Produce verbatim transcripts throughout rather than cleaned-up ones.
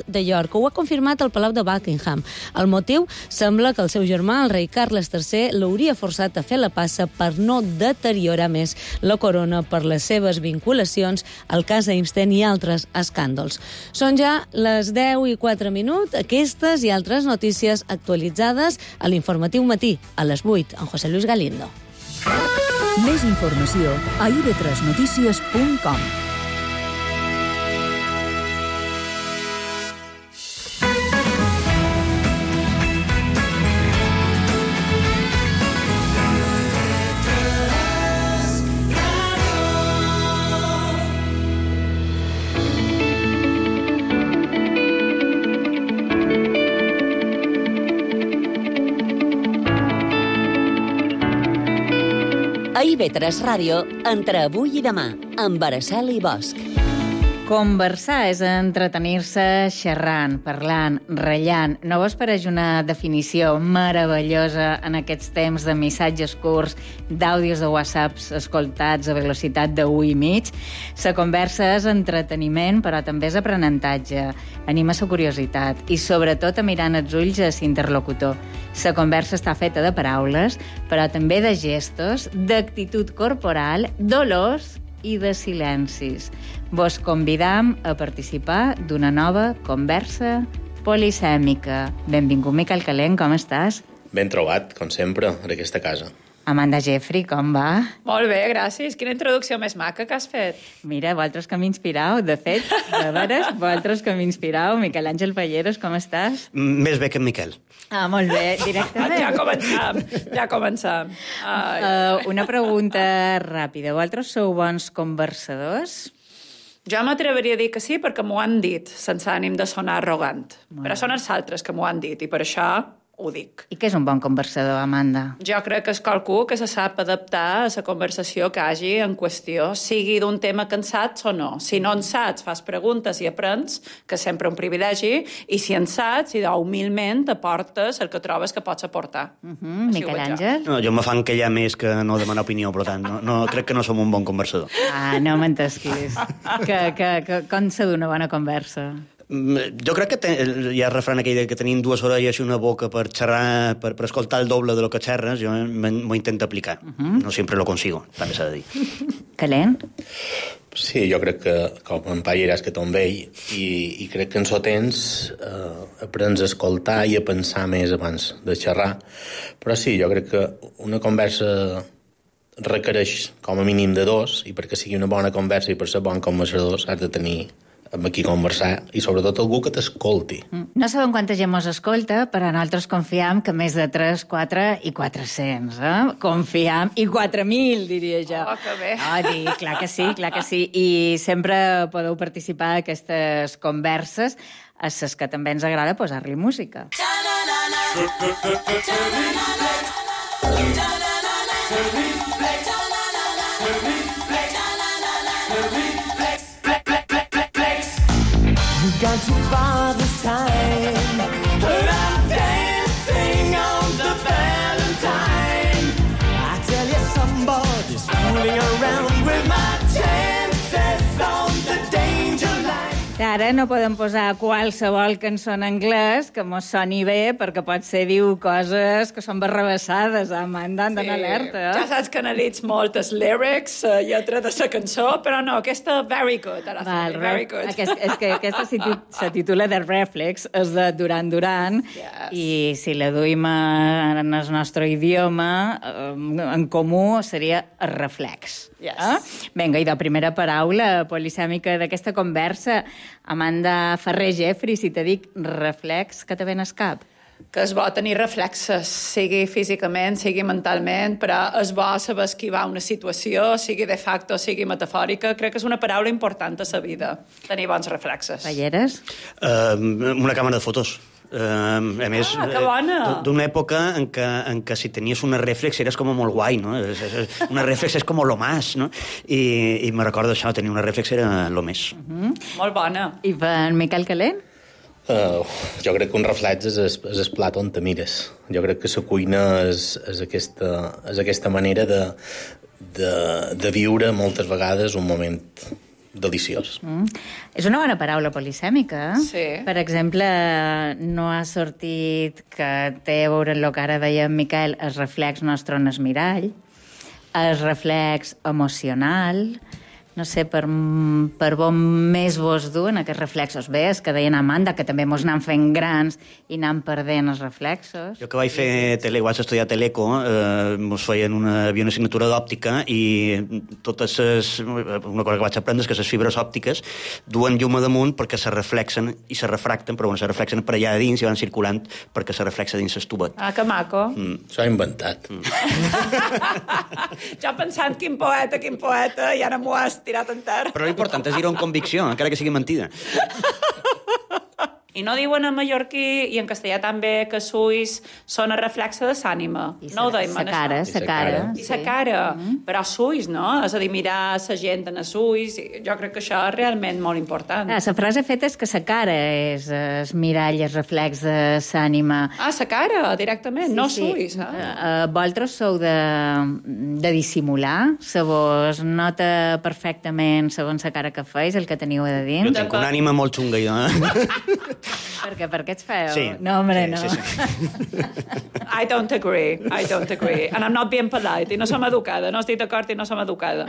de York. Ho ha confirmat el Palau de Buckingham. El motiu sembla que el seu germà, el rei Carles tercer, l'hauria forçat a fer la passa per no deteriorar més la corona per les seves vinculacions al cas Einstein i altres escàndols. Són ja les deu i quatre minuts. Aquestes i altres notícies actualitzades a l'Informatiu Matí, a les vuit, amb José Luis Galindo. Més informació a i ve tres notícies punt com. A i ve tres Ràdio, entre avui i demà, amb Araceli Bosch. Conversar és entretenir-se xerrant, parlant, rellant. No vos pareix una definició meravellosa en aquests temps de missatges curts, d'àudios de whatsapps escoltats a velocitat de u i mig? La conversa és entreteniment, però també és aprenentatge. Anima la curiositat i, sobretot, a mirar en els ulls a l'interlocutor. La conversa està feta de paraules, però també de gestos, d'actitud corporal, d'olors i de silencis. Vos convidam a participar d'una nova conversa polisèmica. Benvingut, Miquel Calent, com estàs? Ben trobat, com sempre, en aquesta casa. Amanda Jeffrey, com va? Molt bé, gràcies. Quina introducció més maca que has fet. Mira, vosaltres que m'inspirau, de fet, de veres, vosaltres que m'inspirau. Miquel Àngel Palleros, com estàs? Més bé que en Miquel. Ah, molt bé, directament. Ja començam, ja començam. Ai. Uh, una pregunta ràpida. Vosaltres sou bons conversadors? Jo m'atreveria a dir que sí perquè m'ho han dit, sense ànim de sonar arrogant. Molt Però són els altres que m'ho han dit i per això ho dic. I què és un bon conversador, Amanda? Jo crec que és qualcú que se sap adaptar a la conversació que hagi en qüestió, sigui d'un tema que en saps o no. Si no en saps, fas preguntes i aprens, que és sempre un privilegi, i si en saps, i humilment aportes el que trobes que pots aportar. Uh -huh. Miquel Àngel? No, jo me fan que hi ha més que no demanar opinió, per tant, no, no, crec que no som un bon conversador. Ah, no m'entesquis. que, que, que, com s'ha d'una bona conversa? Jo crec que ten, hi ha el refrán aquell que tenim dues orelles i una boca per xerrar, per, per escoltar el doble de lo que xerres, jo m'ho intento aplicar. Uh -huh. No sempre lo consigo, també s'ha de dir. Calent? Sí, jo crec que, com en Paller és que ton vell, i, i crec que en so temps eh, aprens a escoltar i a pensar més abans de xerrar. Però sí, jo crec que una conversa requereix com a mínim de dos, i perquè sigui una bona conversa i per ser bon conversador has de tenir amb qui conversar, i sobretot algú que t'escolti. No sabem quanta gent mos escolta, però nosaltres confiam que més de tres, quatre i quatre-cents, eh? Confiam, i quatre mil, diria jo. Oh, que bé. Oh, dir, clar que sí, clar que sí. I sempre podeu participar en aquestes converses, a les que també ens agrada posar-li música. Gone too far this time, but I'm dancing on the Valentine. I tell you, somebody's fooling around with my chances on the danger line. Ara no podem posar qualsevol cançó en anglès que mos soni bé, perquè potser diu coses que són barrabassades, Amanda, han d'anar alerta. Eh? Ja saps que analitz molt els lyrics, la lletra de la cançó, però no, aquesta very good, Araceli, very good. Aquest, és que aquesta se titula The Reflex, és de Duran Duran, yes. I si la duim en el nostre idioma, en comú seria el reflex. Yes. Eh? Vinga, i de primera paraula polisèmica d'aquesta conversa, Amanda Ferrer Jeffrey, si te dic reflex, que te ven al cap? Que és bo tenir reflexes, sigui físicament, sigui mentalment, però és bo saber esquivar una situació, sigui de facto, sigui metafòrica. Crec que és una paraula important a la vida, tenir bons reflexes. Palleres? Uh, una càmera de fotos. Uh, a més, ah, que bona! D'una època en què, en què si tenies una reflex eres com molt guai, no? Una reflex és com lo más, no? I, i me recordo això, tenir una reflex era lo més. Uh -huh. Molt bona. I per Miquel Calent? Uh, jo crec que un reflex és el, és el plat on te mires. Jo crec que la cuina és, és, aquesta, és aquesta manera de, de, de viure moltes vegades un moment deliciós. Mm. És una bona paraula polisèmica. Sí. Per exemple, no ha sortit que té a veure amb el que ara deia en Miquel, el reflex nostre en el mirall, el reflex emocional, no sé, per, per on més vos duen aquests reflexos. Bé, és que deien Amanda, que també mos anem fent grans i anem perdent els reflexos. Jo que vaig fer tele, vaig estudiar teleco, eh, mos feien una, havia una assignatura d'òptica i totes les, una cosa que vaig aprendre és que les fibres òptiques duen llum a damunt perquè se reflexen i se refracten, però bueno, se reflexen per allà dins i van circulant perquè se reflexa dins l'estubet. Ah, que maco. Mm. S'ho ha inventat. Mm. Jo pensant quin poeta, quin poeta, i ara m'ho has tirat en terra. Però l'important és dir-ho amb convicció, encara que sigui mentida. I no diuen en mallorquí i en castellà també que Suis són el reflexe de l'ànima. No ho deim, sa cara, sa cara. I sa cara. Mm. Però Suis, no? És a dir, mirar la gent en Suis. Jo crec que això és realment molt important. Ah, la frase feta és que sa cara és el mirall, el reflex de l'ànima. Ah, sa cara, directament, sí, no sí. Suis. Eh? Uh, vosaltres sou de, de dissimular? Se vos nota perfectament, segons la cara que feis, el que teniu a dins? Jo tinc una ànima molt xunga, jo, eh? Per què? Per què ets feu? Sí. No, hombre, sí, no. Sí, sí. I don't agree, I don't agree. And I'm not being polite, i no som educada, no estic d'acord i no som educada.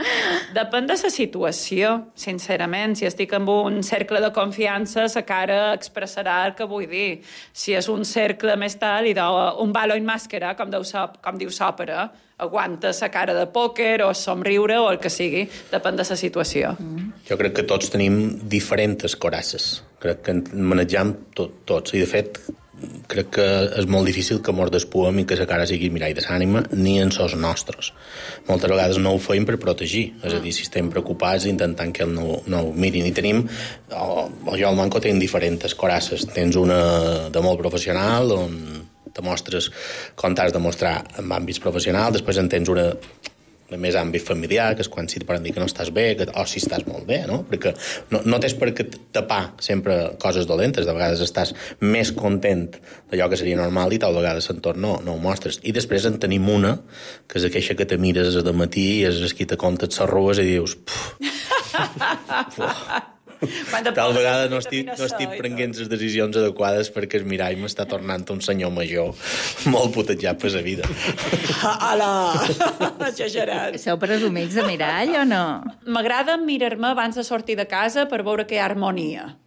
Depèn de la situació, sincerament. Si estic en un cercle de confiança, la cara expressarà el que vull dir. Si és un cercle més tal, i un balo en màscara, com diu, com diu l'òpera, aguanta la cara de pòquer o somriure o el que sigui, depèn de la situació. Mm. Jo crec que tots tenim diferents corasses. Crec que en manegem tot, tots. I, de fet, crec que és molt difícil que mos despuem i que la cara sigui mirall de l'ànima, ni en sos nostres. Moltes vegades no ho feim per protegir. És a dir, si estem preocupats intentant que el no, no ho mirin. I tenim, o, o jo al Manco tenim diferents corasses. Tens una de molt professional, on te mostres com t'has de mostrar en àmbits professionals, després en tens una de més àmbit familiar, que és quan si te poden dir que no estàs bé, que, o si estàs molt bé, no? Perquè no, no tens per què tapar sempre coses dolentes, de vegades estàs més content d'allò que seria normal i tal vegades l'entorn no, no ho mostres. I després en tenim una, que és aquella que te mires de matí i és qui te comptes les arrugues i dius... Tal vegada no estic, no estic prenent les decisions adequades perquè el mirall m'està tornant un senyor major molt putejat per la vida. Hola! Exagerat. Sou presumits de mirall o no? M'agrada mirar-me abans de sortir de casa per veure que hi ha harmonia,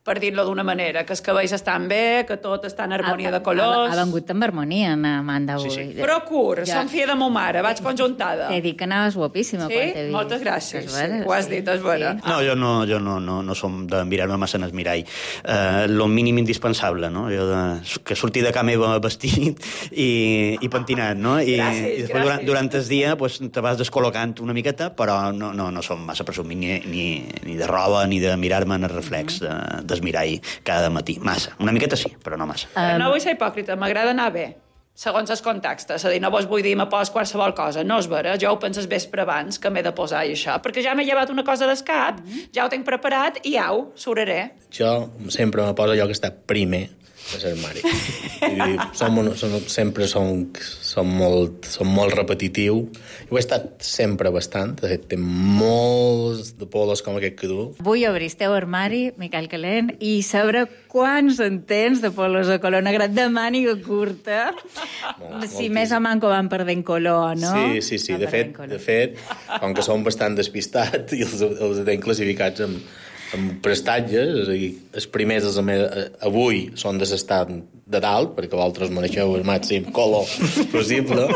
per dir-lo d'una manera, que els cabells estan bé, que tot està en harmonia de colors... Ha, ha vengut amb harmonia, Amanda, avui. Sí, sí. Procur, ja. Som filla de mo mare, vaig conjuntada. T'he dit que anaves guapíssima sí? quan t'he vist. Moltes gràcies, És vera, sí. Ho has dit, és vera. Sí. No, jo no, jo no, no, no som de mirar-me massa en el mirall. Eh, lo mínim indispensable, no? Jo de, que sortir de casa meva vestit i, i pentinat, no? I, gràcies, i després durant, durant el dia pues, te vas descol·locant una miqueta, però no, no, no som massa presumits ni, ni, ni de roba ni de mirar-me en el reflex de, del mirall cada matí. Massa. Una miqueta sí, però no massa. Um... No vull ser hipòcrita, m'agrada anar bé, segons els contextes. És a dir, no vos vull dir me pos qualsevol cosa. No és vera, jo ho penses vespre abans que m'he de posar i això, perquè ja m'he llevat una cosa d'escap, mm -hmm. ja ho tinc preparat i au, suraré. Jo sempre me poso allò que està primer de l'armari. som, som, sempre som, som, molt, som molt repetitiu. Jo he estat sempre bastant. De fet, té molts de polos com aquest que du. Vull obrir el teu armari, Miquel Calent, i saber quants en tens de polos de color negre de màniga curta. Molt, si més o manco van perdent color, no? Sí, sí, sí. De fet, de fet, com que som bastant despistats i els, els tenim classificats amb amb prestatges, és a dir, els primers dels eh, avui són de l'estat de dalt, perquè vosaltres maneixeu el màxim color possible,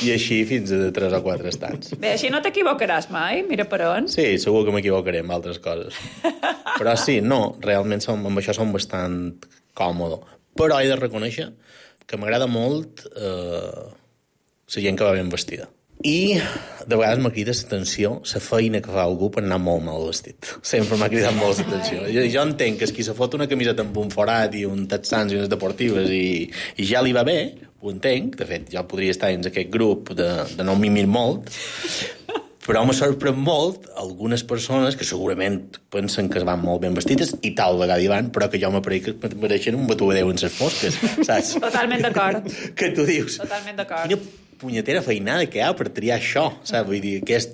i així fins a tres o quatre estants. Bé, així no t'equivocaràs mai, mira per on. Sí, segur que m'equivocaré amb altres coses. Però sí, no, realment som, amb això som bastant còmodo. Però he de reconèixer que m'agrada molt eh, la gent que va ben vestida. I de vegades m'ha cridat l'atenció la feina que fa algú per anar molt mal vestit. Sempre m'ha cridat molt l'atenció. Jo, jo entenc que és qui se fot una camiseta amb un forat i un texans i unes deportives i, i ja li va bé, ho entenc. De fet, jo podria estar dins aquest grup de, de no mimir molt, però me sorprèn molt algunes persones que segurament pensen que es van molt ben vestides i tal vegada hi van, però que jo m'apareix que mereixen un batudeu en ses fosques, saps? Totalment d'acord. Que tu dius... Totalment d'acord. Quina punyetera feinada que hi ha per triar això, saps? Vull dir, aquest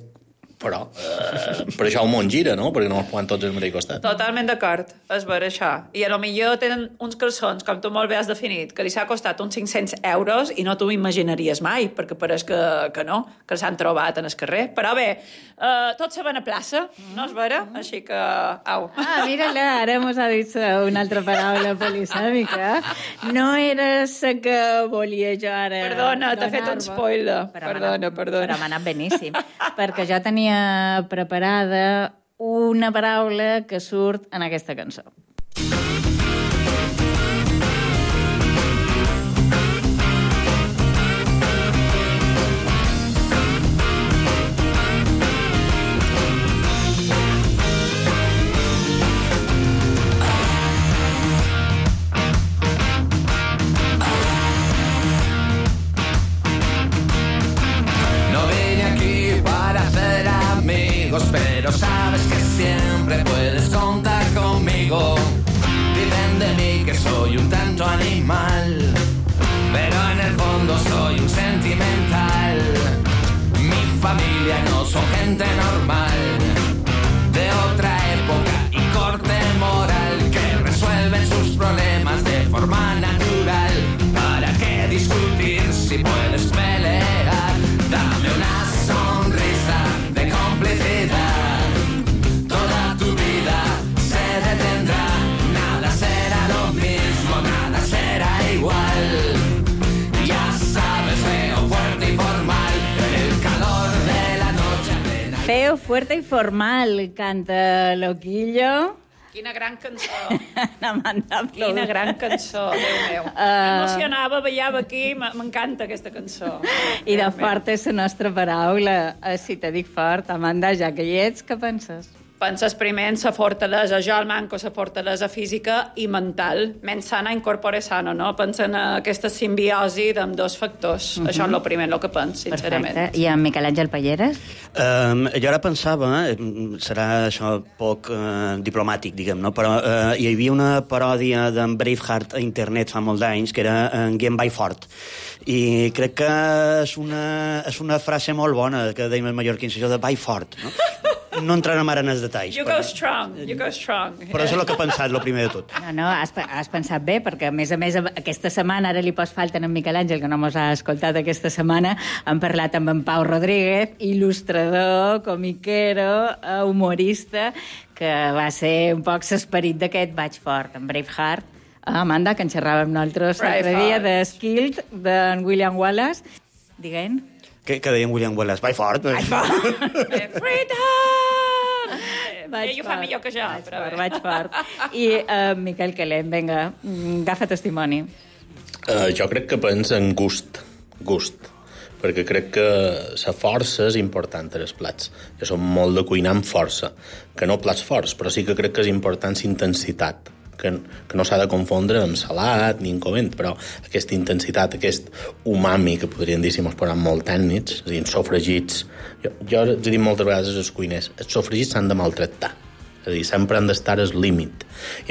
però eh, per això el món gira, no? Perquè no els poden tots al mateix costat. Totalment d'acord, és ver això. I a lo millor tenen uns calçons, com tu molt bé has definit, que li s'ha costat uns cinc-cents euros i no t'ho imaginaries mai, perquè pareix que, que no, que s'han trobat en el carrer. Però bé, eh, tots se van a plaça, no és vera? Així que, au. Ah, mira-la, ara mos ha dit una altra paraula polisèmica. No era la que volia jo ara... Perdona, t'he fet un spoiler. Però perdona, perdona. Però m'ha anat beníssim, perquè jo tenia preparada una paraula que surt en aquesta cançó. Pero sabes que siempre puedes contar conmigo. Dicen de mí que soy un tanto animal, pero en el fondo soy un sentimental. Mi familia no son gente normal, de otra época y corte moral, que resuelven sus problemas de forma natural. ¿Para qué discutir si puedes pelear? Dame una sonrisa de complicidad, toda tu vida se detendrá, nada será lo mismo, nada será igual. Ya sabes, feo, fuerte y formal, el calor de la noche. Feo, fuerte y formal, canta Loquillo. Quina gran cançó. Amanda, Quina gran cançó, Déu meu. Uh... M'emocionava, ballava aquí, m'encanta aquesta cançó. I de fort és la nostra paraula. Si te dic fort, Amanda, ja que hi ets, què penses? Penses primer en la fortalesa, jo el manco la fortalesa física i mental. Mens sana incorpore sano, no? Pensa en aquesta simbiosi d'amb dos factors. Uh-huh. Això és el primer, el que penso, sincerament. Perfecte. I en Miquel Àngel Palleres? Um, jo ara pensava, eh, serà això poc uh, diplomàtic, diguem, no? Però uh, hi havia una paròdia d'en Braveheart a internet fa molts anys, que era en Game by Fort. I crec que és una, és una frase molt bona que deim els mallorquins, això de by fort, no? No entrarem ara en els detalls. You però... go strong, you go strong. Però això és el que he pensat, el primer de tot. No, no, has, has pensat bé, perquè a més a més aquesta setmana, ara li pots falta en Miquel Àngel, que no mos ha escoltat aquesta setmana, hem parlat amb en Pau Rodríguez, il·lustrador, comiquero, humorista, que va ser un poc l'esperit d'aquest Vaig Fort, en Braveheart. Ah, Amanda, que en xerràvem nosaltres l'altre dia de Skilled, d'en William Wallace. Digue'n. Què, què deia en William Wallace? Vai fort. Vai fort. Freedom! Ell ho fa millor que jo. Vaig fort, vaig fort. I uh, Miquel Calent, vinga, agafa testimoni. Uh, jo crec que pensa en gust. Gust. Perquè crec que la força és important als plats. Jo som molt de cuinar amb força. Que no plats forts, però sí que crec que és important la intensitat. Que, que no s'ha de confondre amb salat ni incovent, però aquesta intensitat, aquest umami, que podríem dir si mos posem molt tècnics, és a dir, els sofregits... Jo, jo he dit moltes vegades als cuiners, els sofregits s'han de maltractar. És a dir, sempre han d'estar al límit.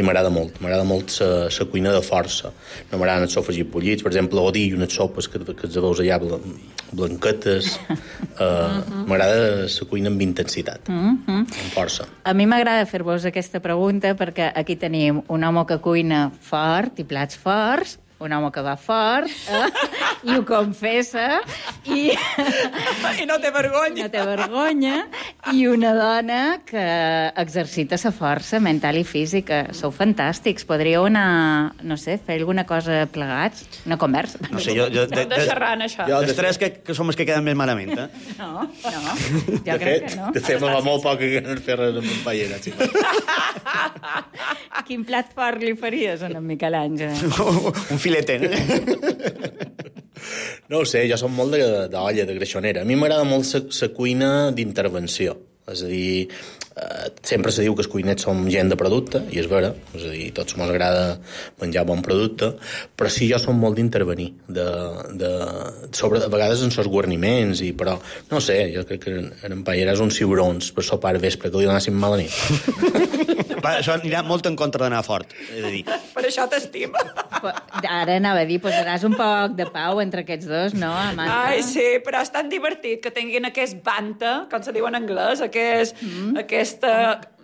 I m'agrada molt. M'agrada molt la cuina de força. No m'agraden els sofregits bullits, per exemple, odi unes sopes que, que els veus allà blanquetes. Uh, m'agrada la cuina amb intensitat, mm-hmm. amb força. A mi m'agrada fer-vos aquesta pregunta perquè aquí tenim un home que cuina fort i plats forts, un home que va fort, eh? I ho confessa, i... I no té vergonya. No té vergonya, i una dona que exercita la força mental i física. Sou fantàstics. Podríeu anar, no sé, fer alguna cosa plegats? Una conversa? No sé, jo... jo de, de, xerrar en això. Jo, de tres que, que som els que queden més malament, eh? No, no. Jo de crec fet, que no. De fet, me va molt poc que no fer res amb en Pallera. Sí. Quin plat fort li faries a en Miquel Àngel? Un filete, no? No ho sé, jo som molt d'olla, de greixonera. A mi m'agrada molt la cuina d'intervenció. És a dir, eh, sempre se diu que els cuinets som gent de producte, i és vera, és a dir, a tots ens agrada menjar bon producte, però sí, jo som molt d'intervenir, de, de, sobre, a vegades en els guarniments, i, però, no sé, jo crec que en Pallera és uns ciurons per sopar vespre, que li donàssim mala nit. Va, això anirà molt en contra d'anar fort, he de dir. Per això t'estima. Ara anava a dir, posaràs un poc de pau entre aquests dos, no, Amanda? Ai, sí, però és tan divertit que tinguin aquest banta, com se diu en anglès, aquest, mm. aquesta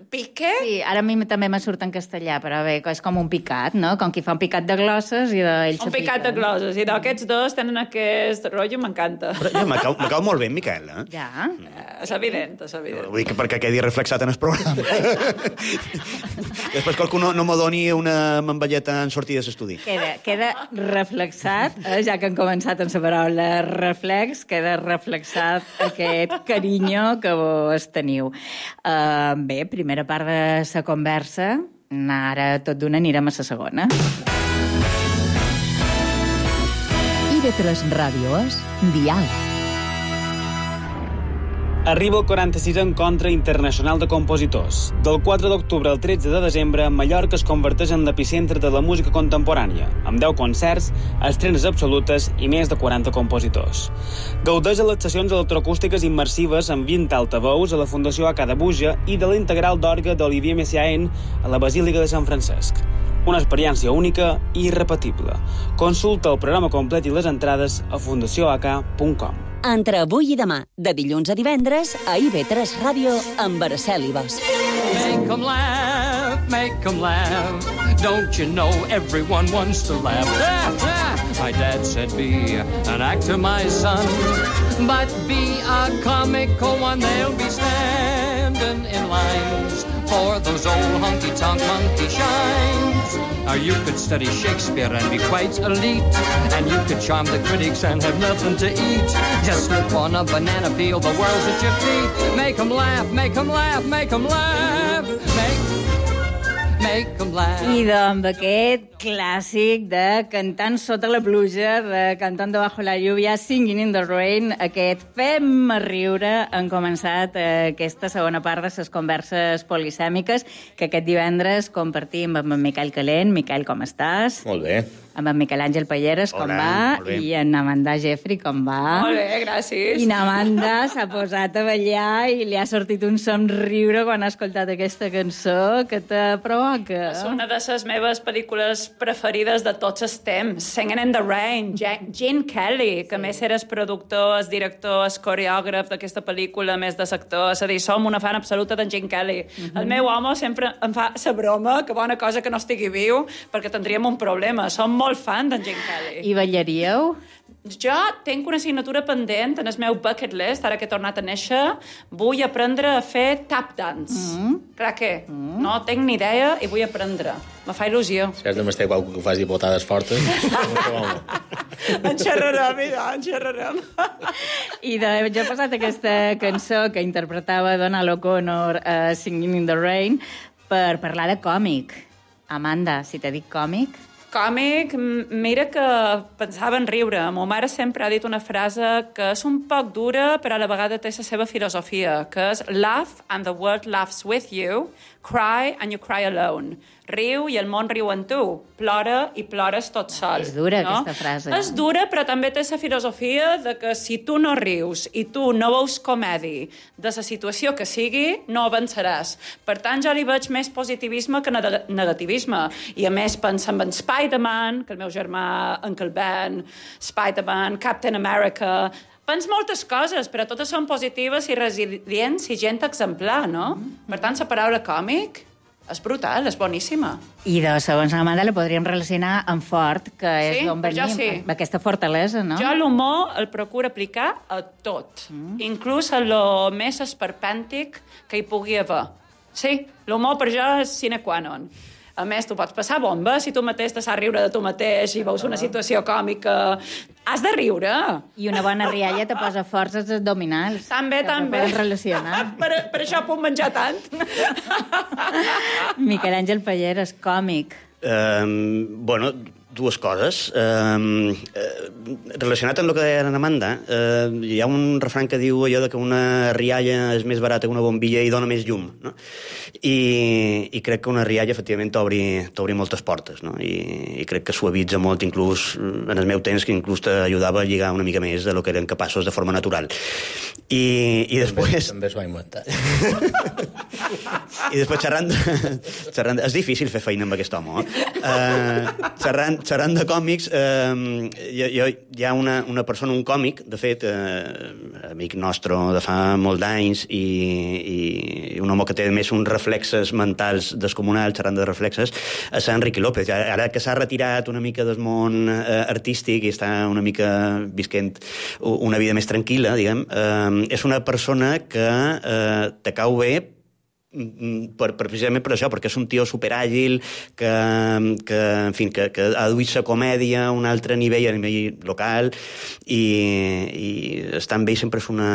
pique. Sí, ara a mi també me surt en castellà, però bé, és com un picat, no? Com qui fa un picat de glosses i d'ells Un picat de glosses, i d'aquests dos tenen aquest rotllo, m'encanta. Però ja, me cau, me cau molt bé, Miquel, eh? Ja. Eh, és evident, és evident. Vull dir que perquè quedi reflexat en el programa. Després qualcú no, no me doni una mamballeta en sortir de l'estudi. Queda, queda reflexat, eh, ja que han començat amb la paraula reflex, queda reflexat aquest carinyo que vos teniu. Uh, bé, primera part de la conversa, ara tot d'una anirem a la segona. I ve tres Ràdio és Diàleg. Arriba el quaranta-sisè Encontre Internacional de Compositors. Del quatre d'octubre al tretze de desembre, Mallorca es converteix en l'epicentre de la música contemporània, amb deu concerts, estrenes absolutes i més de quaranta compositors. Gaudeix de les sessions electroacústiques immersives amb vint altaveus a la Fundació A C A de Buja i de la integral d'orgue d'Olivier Messiaen a la Basílica de Sant Francesc. Una experiència única i irrepetible. Consulta el programa complet i les entrades a fundació a ca punt com. Entre avui i demà, de dilluns a divendres, a I V tres Ràdio, amb Araceli Ibas. Make 'em laugh, make 'em laugh. Don't you know everyone wants to laugh? Ah, ah. My dad said be an actor, my son, but be a comical one. They'll be standing in lines for those old honky-tonk monkey shines. Or you could study Shakespeare and be quite elite, and you could charm the critics and have nothing to eat. Just slip on a banana peel, the world's at your feet. Make 'em laugh, make 'em laugh, make 'em laugh. Make, make 'em laugh. I doncs aquest clàssic de Cantant sota la pluja, de Cantando bajo la lluvia, Singing in the rain, aquest Fem-me riure, han començat eh, aquesta segona part de les converses polisèmiques que aquest divendres compartim amb en Miquel Calent. Miquel, com estàs? Molt bé. Amb en Miquel Àngel Palleres, com Hola, va? I en Amanda Jeffrey, com va? Molt bé, gràcies. I Amanda s'ha posat a ballar i li ha sortit un somriure quan ha escoltat aquesta cançó que te provoca. És una de les meves pel·lícules preferides de tots els temps. Singing in the Rain, Gene Kelly, que més era el productor, el director, el coreògraf d'aquesta pel·lícula, més de l'actor. És a dir, som una fan absoluta d'en Gene Kelly. Uh-huh. El meu home sempre em fa la broma, que bona cosa que no estigui viu, perquè tindríem un problema. Som molt fan d'en Gene Kelly. I ballaríeu? Jo tinc una assignatura pendent en el meu bucket list, ara que he tornat a néixer. Vull aprendre a fer tap dance. Mm. Clar que mm. no tinc ni idea i vull aprendre. Me fa il·lusió. Si has de m'estar qualcú que faci botades fortes, en xerrarem, idò, en xerrarem. I de, jo he posat aquesta cançó que interpretava Donald O'Connor, uh, Singing in the Rain, per parlar de còmic. Amanda, si te dic còmic... Còmic, mira que pensava en riure. Ma mare sempre ha dit una frase que és un poc dura, però a la vegada té la seva filosofia, que és laugh and the world laughs with you, cry and you cry alone. Riu i el món riu en tu. Plora i plores tot sol. És dura, no? aquesta frase. És dura, però també té la filosofia de que si tu no rius i tu no veus comèdia de la situació que sigui, no avançaràs. Per tant, jo li veig més positivisme que negativisme. I a més pensa en Spider-Man, que el meu germà, Uncle Ben, Spider-Man, Captain America... Pens moltes coses, però totes són positives i resilients i gent exemplar, no? Mm-hmm. Per tant, la paraula còmic és brutal, és boníssima. I de segons Amanda la podríem relacionar amb fort, que és sí, d'on venim, sí. aquesta fortalesa, no? Jo l'humor el procuro aplicar a tot, mm. inclús a lo més esperpèntic que hi pugui haver. Sí, l'humor per jo és sine qua non. A més, tu pots passar bomba si tu mateix te saps riure de tu mateix i veus una situació còmica. Has de riure. I una bona rialla te posa forces abdominals. També, també. Que relacionar. per, per això puc menjar tant. Miquel Àngel Palleres, còmic. Um, bueno, dues coses. Eh, eh, relacionat amb el que deia Amanda, eh, hi ha un refrany que diu allò de que una rialla és més barata que una bombilla i dona més llum, no? I, i crec que una rialla, efectivament, t'obri, t'obri moltes portes, no? I, i crec que suavitza molt, inclús en el meu temps, que inclús t'ajudava a lligar una mica més de lo que eren capaços de forma natural. I, i després... També, també s'ho ha inventat. I després xerrant, xerrant... És difícil fer feina amb aquest home, eh? Uh, xerrant, xerrant de còmics, uh, hi, hi ha una, una persona, un còmic, de fet, uh, amic nostre de fa molt d'anys, i, i un home que té més uns reflexes mentals descomunals, xerrant de reflexes, és Enrique López. Ara que s'ha retirat una mica del món uh, artístic i està una mica visquent una vida més tranquil·la, diguem, uh, és una persona que uh, te cau bé per, per, precisament per això, perquè és un tio superàgil que, que, en fi, que, que ha duit la comèdia a un altre nivell, a nivell local, i, i estar amb ell sempre és una...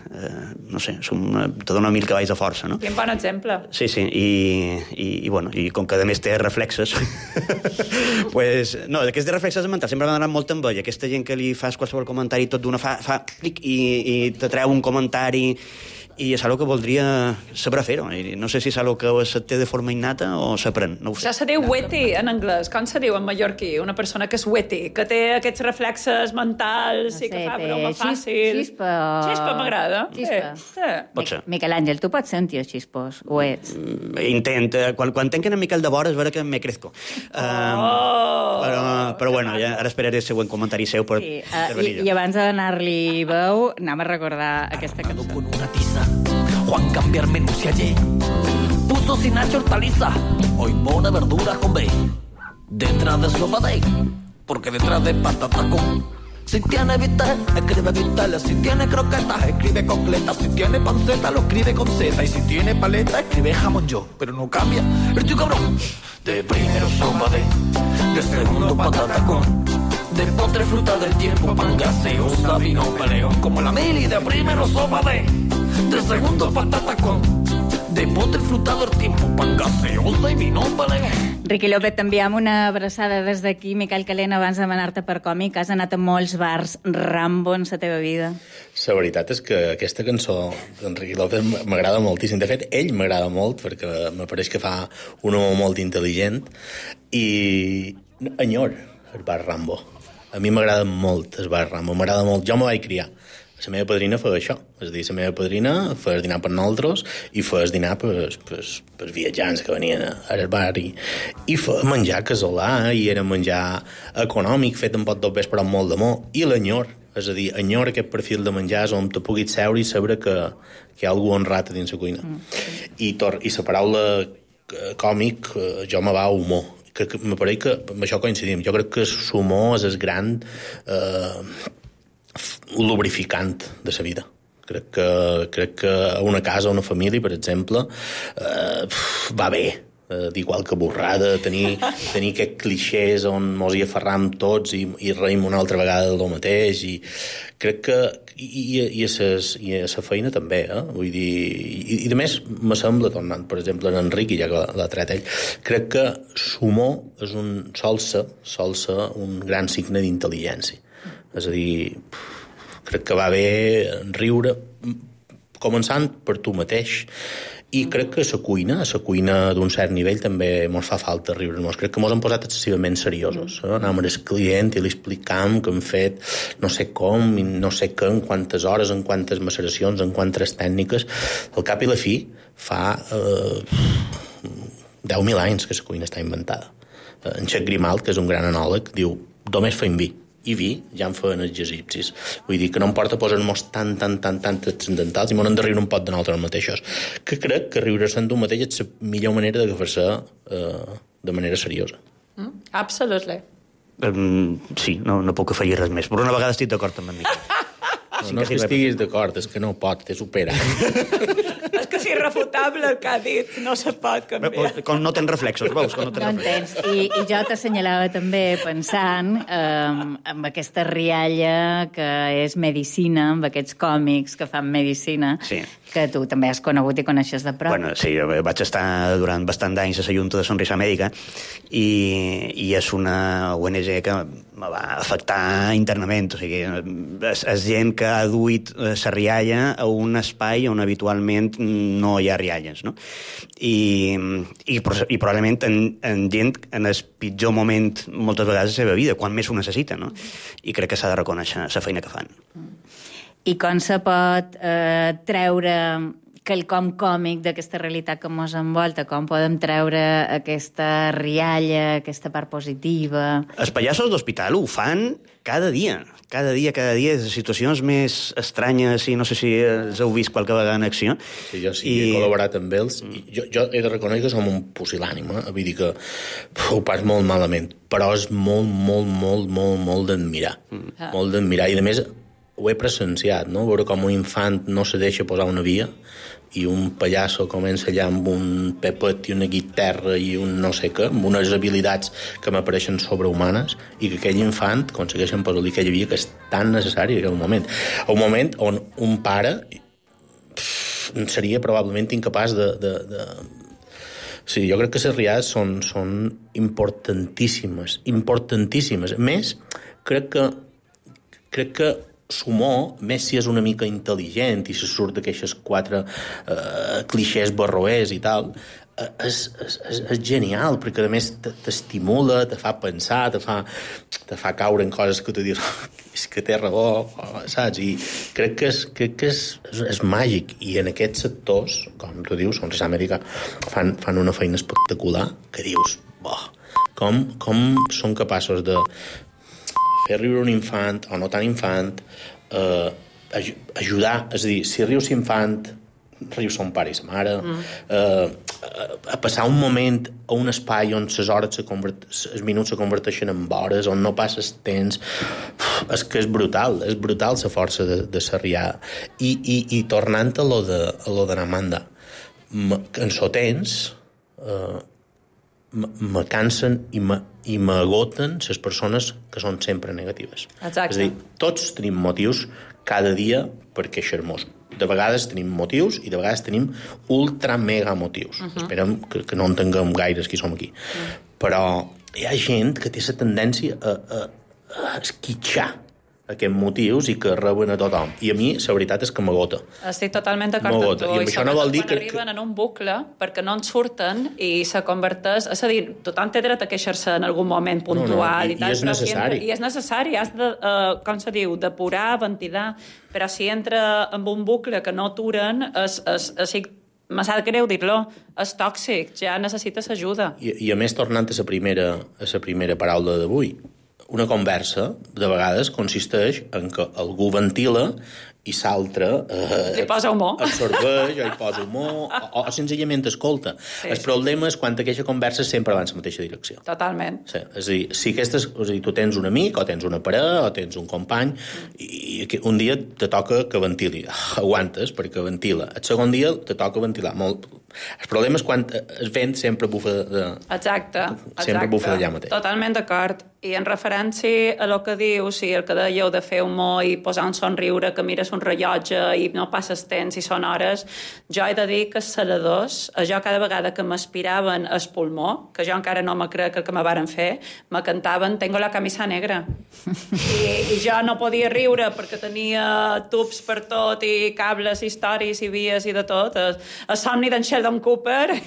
Eh, no sé, és una, te dona mil cavalls de força, no? Quin bon exemple. Sí, sí, i, i, i, bueno, i com que a més té reflexes, pues, no, aquests reflexes mentals sempre m'han donat molt amb ell. Aquesta gent que li fas qualsevol comentari tot d'una fa, fa clic i, i te treu un comentari i és algo que voldria saber fer-ho. No sé si és algo que se té de forma innata o s'aprèn, no ho sé. Això se diu witty en anglès. Com se diu en mallorquí? Una persona que és witty, que té aquests reflexes mentals no sé, i que fa broma fàcil. Xispa. Xispa m'agrada. Xispa. Sí. Pot ser. Miquel Àngel, tu pots ser un tio xispós, ho ets? Intenta. Quan, quan tenc en Miquel de vora és vera que me crezco. Oh! Um, però, però bueno, ja, ara esperaré el següent comentari seu per sí, uh, i, i abans de donar-li veu, anem a recordar aquesta cançó. Con una tiza, Juan cambiar menú si ayer puso sin hacha hortaliza, hoy pone verduras con B detrás de sopa de, porque detrás de patata con. Si tiene bistec, escribe bistec. Si tiene croquetas, escribe concletas. Si tiene panceta, lo escribe con Z. Y si tiene paleta, escribe jamón yo. Pero no cambia el tío cabrón. De primero sopa de, de segundo patata con, de postre fruta del tiempo, pan gaseosa, vino peleón. Como la mili, de primero sopa de, de segundo patata con, de postre fruta del tiempo, pan gaseosa i vino peleón. Riqui López, t'enviem una abraçada des d'aquí. Miquel Calent, abans de demanar-te per còmic, has anat a molts bars Rambo en la teva vida. La veritat és que aquesta cançó d'Enrique López m'agrada moltíssim. De fet, ell m'agrada molt, perquè m'apareix que fa un home molt intel·ligent i enyor el bar Rambo. A mi m'agrada molt el bar Rambo, m'agrada molt. Jo me vaig criar. La meva padrina feia això. És a dir, la meva padrina feia dinar per nosaltres i feia dinar per, per, per viatjants que venien al bar i, i feia menjar casolà i era menjar econòmic, fet amb pot dos vés però amb molt d'amor. I l'enyor, és a dir, enyor aquest perfil de menjars on te puguis seure i saber que, que hi ha algú honrat a dins la cuina. Mm. I, tor I la paraula còmic, jo me va a humor. Que, que m'apareix que amb això coincidim. Jo crec que l'humor és el gran eh, lubrificant de la vida. Crec que, crec que a una casa, a una família, per exemple, eh, va bé eh, dir qualque borrada, tenir, tenir aquests clixés on mos hi aferram tots i, i reïm una altra vegada del mateix i crec que i, i, i, a, ses, i a la feina també, eh? Vull dir, i, i a més me sembla, tornant per exemple en Enric, ja que l'ha tret ell, crec que l'humor és un, sol ser, sol ser un gran signe d'intel·ligència. És a dir, crec que va bé riure començant per tu mateix i crec que a la cuina, a la cuina d'un cert nivell també mos fa falta riure-nos. Crec que mos han posat excessivament seriosos. Eh? Anàvem al client i li explicàvem que hem fet no sé com, no sé què, en quantes hores, en quantes maceracions, en quantes tècniques. Al cap i la fi fa eh, deu mil anys que la cuina està inventada. En Jacques Grimald, que és un gran anòleg, diu només feim vi. I vi ja en feien els egipcis. Vull dir que no em porta a posar-nos tan, tan, tan, tan transcendentals i m'ho hem de riure un pot de nosaltres mateixos. Que crec que riure-se'n d'un mateix és la millor manera d'agafar-se eh, de manera seriosa. Mm, absolutely. Um, sí, no, no puc afegir res més. Per una vegada estic d'acord amb en Miquel. No, no és que estiguis d'acord, és que no pot, t'he superat. És que és irrefutable el que ha dit, no se pot canviar. Com no tens reflexos, veus? Com no tens No en tens. I, I jo t'assenyalava també pensant eh, amb aquesta rialla que és medicina, amb aquests còmics que fan medicina, sí. que tu també has conegut i coneixes de prop. Bueno, sí, vaig estar durant bastant d'anys a la Junta de Sonrisa Mèdica i, i és una O N G que me va afectar internament. O sigui, és, és gent que ha duit la rialla a un espai on habitualment no hi ha rialles, no? I, i, i probablement en, en gent en el pitjor moment moltes vegades de la seva vida, quan més ho necessita, no? I crec que s'ha de reconèixer la feina que fan. I com se pot eh, treure quelcom còmic d'aquesta realitat que ens envolta? Com podem treure aquesta rialla, aquesta part positiva? Els pallassos d'hospital ho fan cada dia, cada dia, cada dia, de situacions més estranyes, i no sé si els heu vist qualque vegada en acció. Sí, jo sí, I... he col·laborat amb ells. I jo, jo he de reconèixer que som un pusil·lànim, eh? Vull dir que uf, ho pas molt malament, però és molt, molt, molt, molt, molt d'admirar. Mm. Molt d'admirar. I, a més, ho he presenciat, no? Veure com un infant no se deixa posar una via i un pallasso comença allà amb un pepet i una guitarra i un no sé què, amb unes habilitats que m'apareixen sobrehumanes, i que aquell infant aconsegueixen posar-li aquella via que és tan necessària en aquell moment. Un moment on un pare pff, seria probablement incapaç de... de, de... Sí, jo crec que les riades són, són importantíssimes, importantíssimes. A més, crec que crec que s'humor, més si és una mica intel·ligent i se surt d'aquestes quatre eh, clixés barroers i tal, eh, és, és, és genial, perquè a més t'estimula, te fa pensar, te fa, te fa caure en coses que tu dius és que té raó, saps? I crec que és, crec que és, és, és màgic. I en aquests sectors, com tu dius, Sonrisa Mèdica, fan, fan una feina espectacular que dius, boh, com, com són capaços de fer riure un infant o no tan infant, eh, aj ajudar, és a dir, si rius infant, riu son pare i sa mare, mm. eh, a passar un moment a un espai on les hores, els minuts se converteixen en hores, on no passes temps, és que és brutal, és brutal la força de, de la riada. I, i, i tornant a lo de, a lo de Namanda, en so temps, eh, me cansen i me i m'agoten les persones que són sempre negatives. Exacte. És a dir, tots tenim motius cada dia per queixar-nos. De vegades tenim motius i de vegades tenim ultra mega motius. Uh -huh. Esperem que, que no en tinguem gaires qui som aquí. Uh -huh. Però hi ha gent que té la tendència a, a, a esquitxar aquests motius i que reben a tothom. I a mi, la veritat és que m'agota. Estic totalment d'acord amb tu. I, I això no vol dir quan que... arriben en un bucle perquè no en surten i se converteix... És a dir, tothom té dret a queixar-se en algun moment puntual no, no, i, i tal. I és necessari. Si entra, I és necessari. Has de, uh, com se diu, depurar, ventilar. Però si entra en un bucle que no aturen, és, és, és, me sap greu dir-lo, és tòxic, ja necessites ajuda. I, i a més, tornant a la primera, a la primera paraula d'avui, una conversa, de vegades, consisteix en que algú ventila i l'altre eh, li posa humor. absorbeix o hi posa humor o, o senzillament escolta. Sí, el problema és quan aquesta conversa sempre va en la mateixa direcció. Totalment. Sí, és a dir, si aquestes, és a dir, tu tens un amic o tens una parella o tens un company mm. i, i un dia te toca que ventili. Aguantes perquè ventila. El segon dia te toca ventilar molt. El problema és quan el vent sempre bufa de... Exacte. Sempre exacte. bufa d'allà mateix. Totalment d'acord. I en referència a el que dius, i el que dèieu de fer humor i posar un somriure, que mires un rellotge i no passes temps i són hores, jo he de dir que els saladors, jo cada vegada que m'aspiraven el pulmó, que jo encara no me crec el que me varen fer, me cantaven Tengo la camisa negra. I, I jo no podia riure perquè tenia tubs per tot i cables, històries i vies i de tot. El, el somni d'en Sheldon Cooper,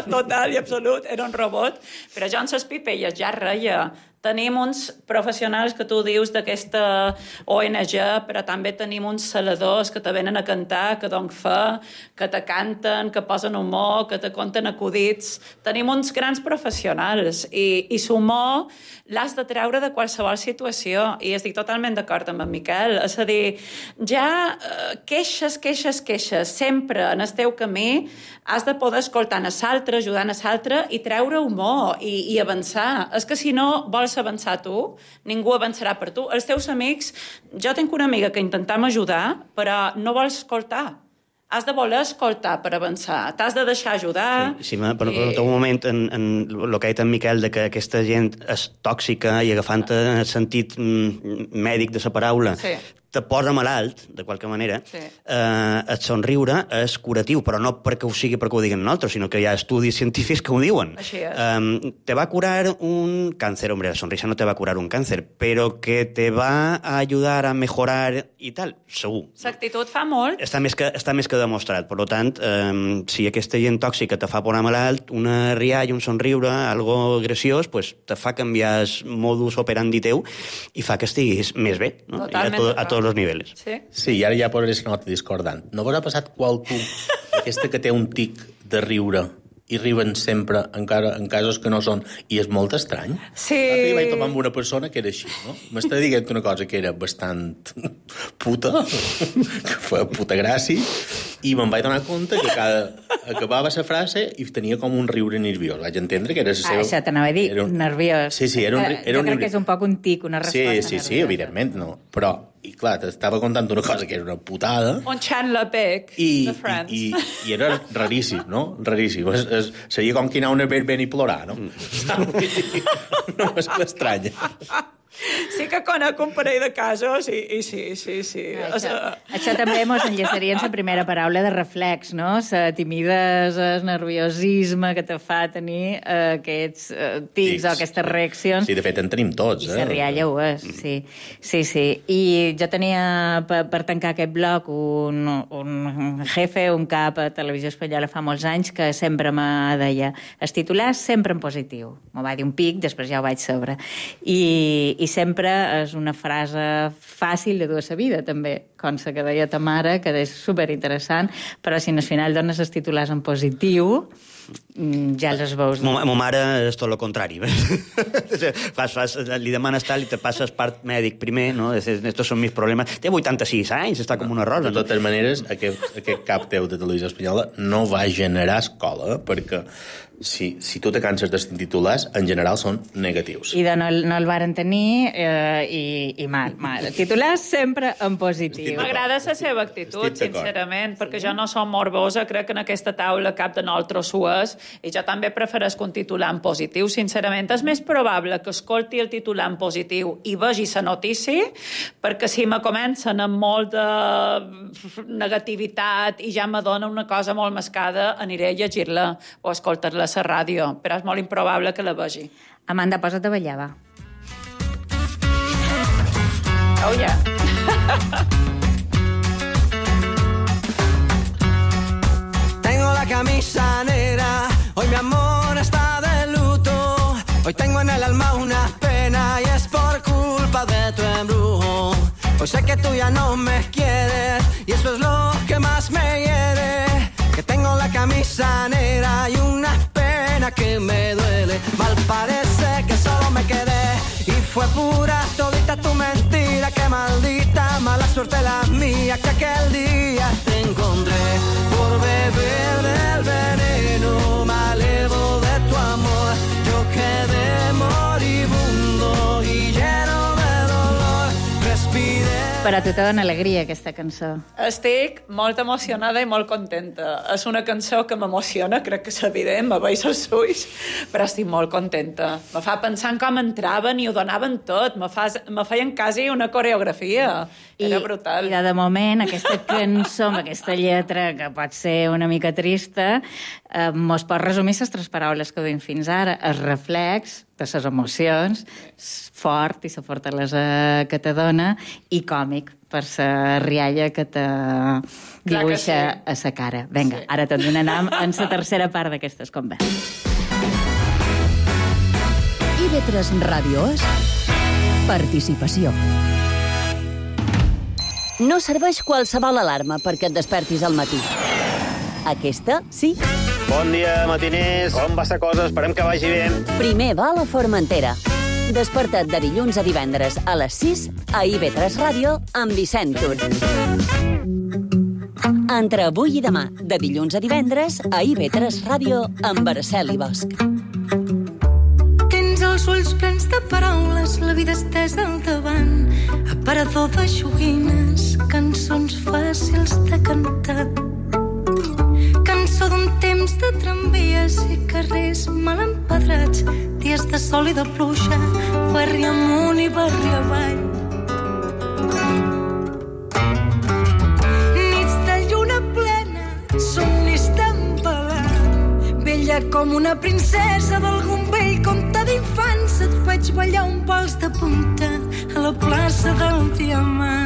total i absolut, era un robot, però jo en ses pipelles ja reia. Tenim uns professionals que tu dius d'aquesta O N G, però també tenim uns saladors que te venen a cantar, que donen fe, que te canten, que posen humor, que te conten acudits. Tenim uns grans professionals i, i l'humor l'has de treure de qualsevol situació i estic totalment d'acord amb en Miquel. És a dir, ja eh, queixes, queixes, queixes, sempre en el teu camí has de poder escoltar a l'altre, ajudar a l'altre i treure humor i, i avançar. És que si no vols vols avançar tu, ningú avançarà per tu. Els teus amics... Jo tinc una amiga que intentam ajudar, però no vols escoltar. Has de voler escoltar per avançar. T'has de deixar ajudar. Sí, sí però, i... però un moment, en, en el que ha dit en Miquel, de que aquesta gent és tòxica i agafant el sentit mèdic de la paraula, sí. te posa malalt, de qualque manera, sí. eh, el somriure és curatiu, però no perquè ho sigui perquè ho diguen nosaltres, sinó que hi ha estudis científics que ho diuen. Així és. Eh, te va curar un cáncer, hombre, la sonrisa no te va a curar un cáncer, però que te va a ayudar a mejorar i tal, segur. L'actitud fa molt. Està més que, està més que demostrat. Per tant, eh, si aquesta gent tòxica te fa posar malalt, una rialla, un somriure, algo graciós, pues, te fa canviar el modus operandi teu i fa que estiguis més bé, no? Totalment. I a, to, a tots els nivells. Sí. Sí, i ara ja posaré la nota discordant. No vos ha passat qualcú, aquesta que té un tic de riure i riuen sempre, encara en casos que no són, i és molt estrany. Sí. L'altre dia vaig topar amb una persona que era així, no? M'estava dient una cosa que era bastant puta, que feia puta gràcia, i me'n vaig donar compte que cada... acabava la frase i tenia com un riure nerviós. Vaig entendre que era la seva... Ah, això t'anava a dir, un... nerviós. Sí, sí, era un, era jo un crec riure... que és un poc un tic, una resposta Sí, sí, nerviosa. sí, evidentment, no. Però, i clar, t'estava contant una cosa que era una putada... Un Chandler Bing I, de Friends. I, i, I era raríssim, no? Raríssim. Es, es, seria com que anar a una verbena i plorar, no? Mm. No és estranya. Sí que conec un parell de casos i, i sí, sí, sí. Ah, això, això també mos enllaçaria en la primera paraula de reflex, no? La timidesa, el nerviosisme que te fa tenir eh, aquests eh, tics, tics o aquestes reaccions. Sí, de fet en tenim tots. I eh? la rialla ho és, sí. Sí, sí. I jo tenia, per, per tancar aquest bloc, un, un jefe, un cap a Televisió Espanyola fa molts anys, que sempre me deia els titulars sempre en positiu. M'ho va dir un pic, després ja ho vaig saber. I, i sempre és una frase fàcil de dur a la vida, també, com la que deia ta mare, que és superinteressant, però si al final dones els titulars en positiu, ja els veus... Ma, ma mare és tot el contrari. fas, fas, li demanes tal i te passes part mèdic primer, no? Estos són mis problemes. Té vuitanta-sis anys, està com una rosa. De totes maneres, aquest, aquest cap teu de Televisió Espanyola no va generar escola, perquè si, si tu te canses dels titulars, en general són negatius. I de no, no el varen tenir eh, i, i mal, mal. Titulars sempre en positiu. M'agrada la seva actitud, sincerament, perquè jo no som morbosa, crec que en aquesta taula cap de nosaltres ho és, i jo també prefereixo un titular en positiu, sincerament. És més probable que escolti el titular en positiu i vegi la notícia, perquè si me comencen amb molt de negativitat i ja me dona una cosa molt mascada, aniré a llegir-la o a escoltar-la a la ràdio, però és molt improbable que la vegi. Amanda, posa't a ballar, va. Oh, yeah. Tengo la camisa negra, hoy mi amor está de luto. Hoy tengo en el alma una pena y es por culpa de tu embrujo. Hoy sé que tú ya no me quieres y eso es lo que más me hiere. Que tengo la camisa negra y una pena que me duele. Mal parece que solo me quedé y fue pura todita tu mentira. Qué maldita mala suerte la mía que aquel día te encontré por beber del veneno malevo de tu amor. Yo quedé moribundo y lleno de dolor. Respiré. Però a tu te dona alegria, aquesta cançó. Estic molt emocionada i molt contenta. És una cançó que m'emociona, crec que és evident, me veig els ulls, però estic molt contenta. Me fa pensar en com entraven i ho donaven tot. Me, fa, me feien quasi una coreografia. Era I, brutal. I de moment, aquesta cançó, amb aquesta lletra, que pot ser una mica trista, eh, mos pot resumir les tres paraules que duim fins ara. El reflex de les emocions, fort i la fortalesa que te dona, i còmic, per la rialla que te dibuixa sí. a la cara. Vinga, sí. Ara te'n donarem en la tercera part d'aquestes converses. I V tres Ràdio és participació. No serveix qualsevol alarma perquè et despertis al matí. Aquesta, sí. Bon dia, matiners. Com va la cosa? Esperem que vagi bé. Primer va a la Formentera. Desperta't de dilluns a divendres a les sis a I V tres Ràdio amb Vicent Tur. Entre avui i demà, de dilluns a divendres a I V tres Ràdio amb Araceli Bosch. Tens els ulls plens de paraules vida estesa al davant, aparador de joguines, cançons fàcils de cantar. Cançó d'un temps de tramvies i carrers mal empedrats, dies de sol i de pluja, barri amunt i barri avall. Nits de lluna plena, somnis d'empalar, vella com una princesa d'algun vell conte d'infants, et vaig ballar un vals de punta a la plaça del Diamant.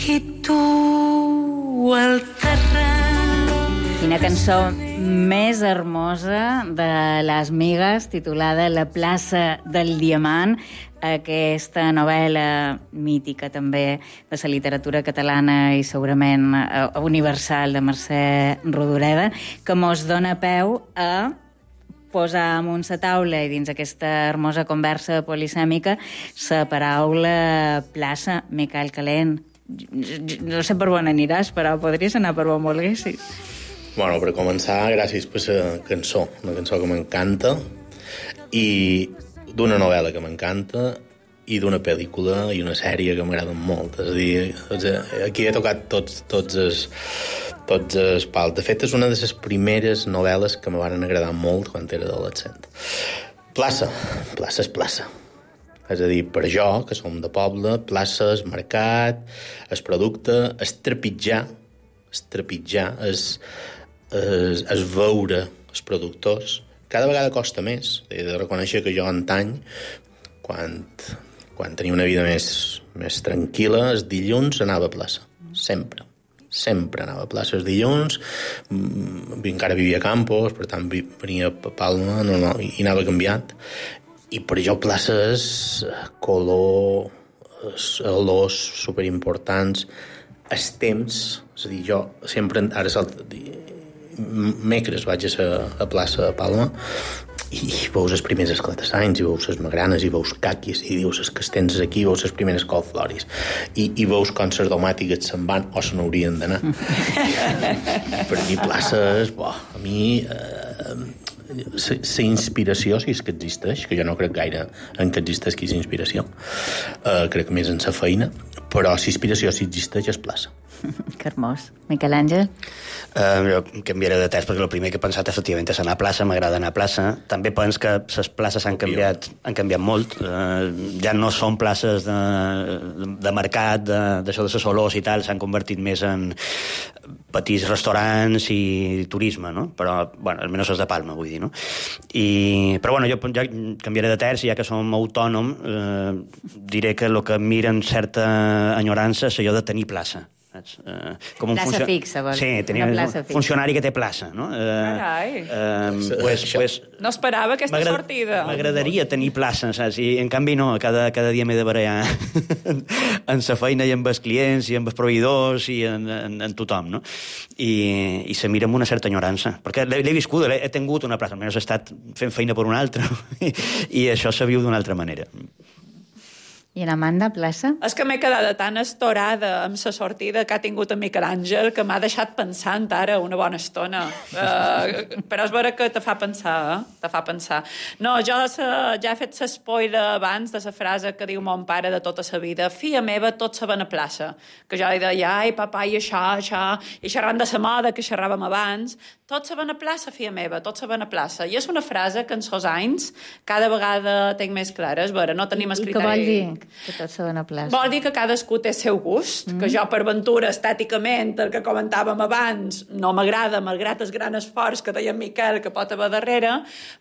I tu al terrat. Quina cançó més hermosa de Les Migues, titulada La plaça del Diamant, aquesta novel·la mítica també de la literatura catalana i segurament universal de Mercè Rodoreda, que mos dona peu a posar amunt la taula i dins aquesta hermosa conversa polisèmica la paraula plaça. Miquel Calent, no sé per on aniràs, però podries anar per on volguessis. Bueno, per començar, gràcies per la cançó, una cançó que m'encanta, i d'una novel·la que m'encanta, i d'una pel·lícula i una sèrie que m'agraden molt. És a dir, aquí he tocat tots, tots els, tots els pals. De fet, és una de les primeres novel·les que me van agradar molt quan era adolescent. Plaça, plaça és plaça. És a dir, per jo, que som de poble, plaça és mercat, és producte, és trepitjar, és trepitjar, és, és, és veure els productors. Cada vegada costa més. He de reconèixer que jo antany, quan, quan tenia una vida més, més tranquil·la, els dilluns anava a plaça. Sempre. Sempre anava a plaça els dilluns. Encara vivia a Campos, per tant venia a Palma, no, no, i anava canviat. I per jo plaça és color, olors superimportants, els temps. És a dir, jo sempre, ara mecres vaig a la plaça de Palma i veus els primers esclatassanys, i veus les magranes, i veus caquis, i dius que tens aquí, veus les primeres colfloris, i, i veus com les domàtiques se'n van o se n'haurien d'anar. Per mi plaça és, bo, a mi eh, la inspiració, si és que existeix, que jo no crec gaire en que existeixi la inspiració, eh, crec més en la feina, però la inspiració, si existeix, és plaça. Que hermós. Miquel Àngel? Uh, jo canviaré de test, perquè el primer que he pensat efectivament és anar a plaça, m'agrada anar a plaça. També pens que les places han canviat, han canviat molt. Uh, ja no són places de, de mercat, d'això de, de les olors i tal, s'han convertit més en petits restaurants i turisme, no? Però, bueno, almenys és de Palma, vull dir, no? I, però, bueno, jo ja canviaré de terç, ja que som autònom, eh, diré que el que miren certa enyorança és allò de tenir plaça. Uh, com un plaça funcio... fixa, vols? Sí, tenia un funcionari que té plaça, no? Uh, Carai. Uh, pues, pues, no esperava aquesta sortida. M'agradaria tenir plaça, saps? I en canvi no, cada, cada dia m'he de barallar en sa feina i amb els clients i amb els proveïdors i en, en, en tothom, no? I, i se mira amb una certa enyorança, perquè l'he viscut, he tingut una plaça, almenys he estat fent feina per una altra, i, i això se viu d'una altra manera. I en Amanda, plaça? És que m'he quedat tan estorada amb la sortida que ha tingut en Miquel Àngel que m'ha deixat pensant ara una bona estona. Uh, però és vera que te fa pensar, eh? Te fa pensar. No, jo sa, ja he fet l'espoiler abans de la frase que diu mon pare de tota la vida: filla meva, tots saben a plaça. Que jo li deia, ai, papà, i això, això, i xerrant de la moda que xerràvem abans, tots saben a plaça, filla meva, tots saben a plaça. I és una frase que en sos anys cada vegada tinc més clara. És vera, no tenim el criteri... I què vol dir? Que tots saben a plaça. Vol dir que cadascú té el seu gust, mm. que jo per ventura estèticament, el que comentàvem abans, no m'agrada, malgrat el gran esforç que deia en Miquel que pot haver darrere,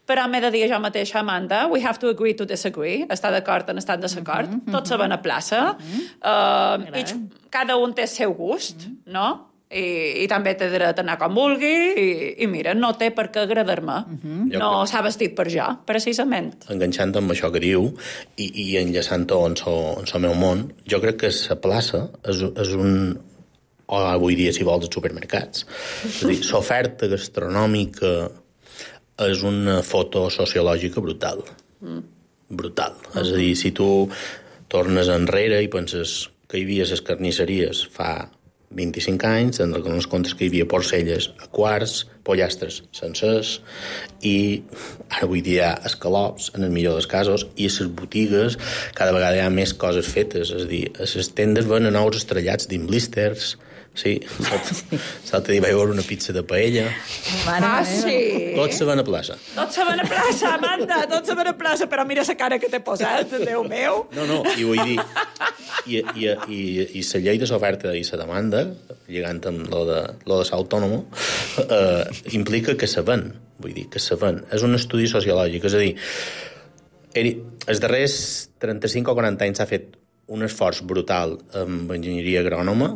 però m'he de dir jo mateixa, Amanda, we have to agree to disagree, estar d'acord en estar en desacord, mm -hmm. tots saben a plaça, mm -hmm. uh, i cada un té el seu gust, mm -hmm. no? I, i també té dret a anar com vulgui i, i mira, no té per què agradar-me. Uh-huh. No s'ha vestit per jo, precisament. Enganxant amb això que diu i, i enllaçant-ho en el meu món, jo crec que la plaça és, és un... o avui dia, si vols, els supermercats. És a dir, l'oferta gastronòmica és una foto sociològica brutal. Mm. Brutal. Uh-huh. És a dir, si tu tornes enrere i penses que hi havia les carnisseries fa vint-i-cinc anys, tenen els comptes que hi havia porcelles a quarts, pollastres sencers, i ara avui dia hi ha escalops, en el millor dels casos, i a les botigues cada vegada hi ha més coses fetes, és a dir, a les tendes venen nous estrellats dins blisters. Sí, l'altre dia vaig veure una pizza de paella. Ah, sí? Tots se van a plaça. Tots se van a plaça, Amanda, tots se van a plaça, però mira la cara que t'he posat, Déu meu. No, no, i vull dir, i, i, i, i la llei de l'oferta i la demanda, lligant amb lo de, lo de l'autònomo, eh, implica que se ven, vull dir, que se ven. És un estudi sociològic, és a dir, els darrers trenta-cinc o quaranta anys s'ha fet un esforç brutal amb enginyeria agrònoma,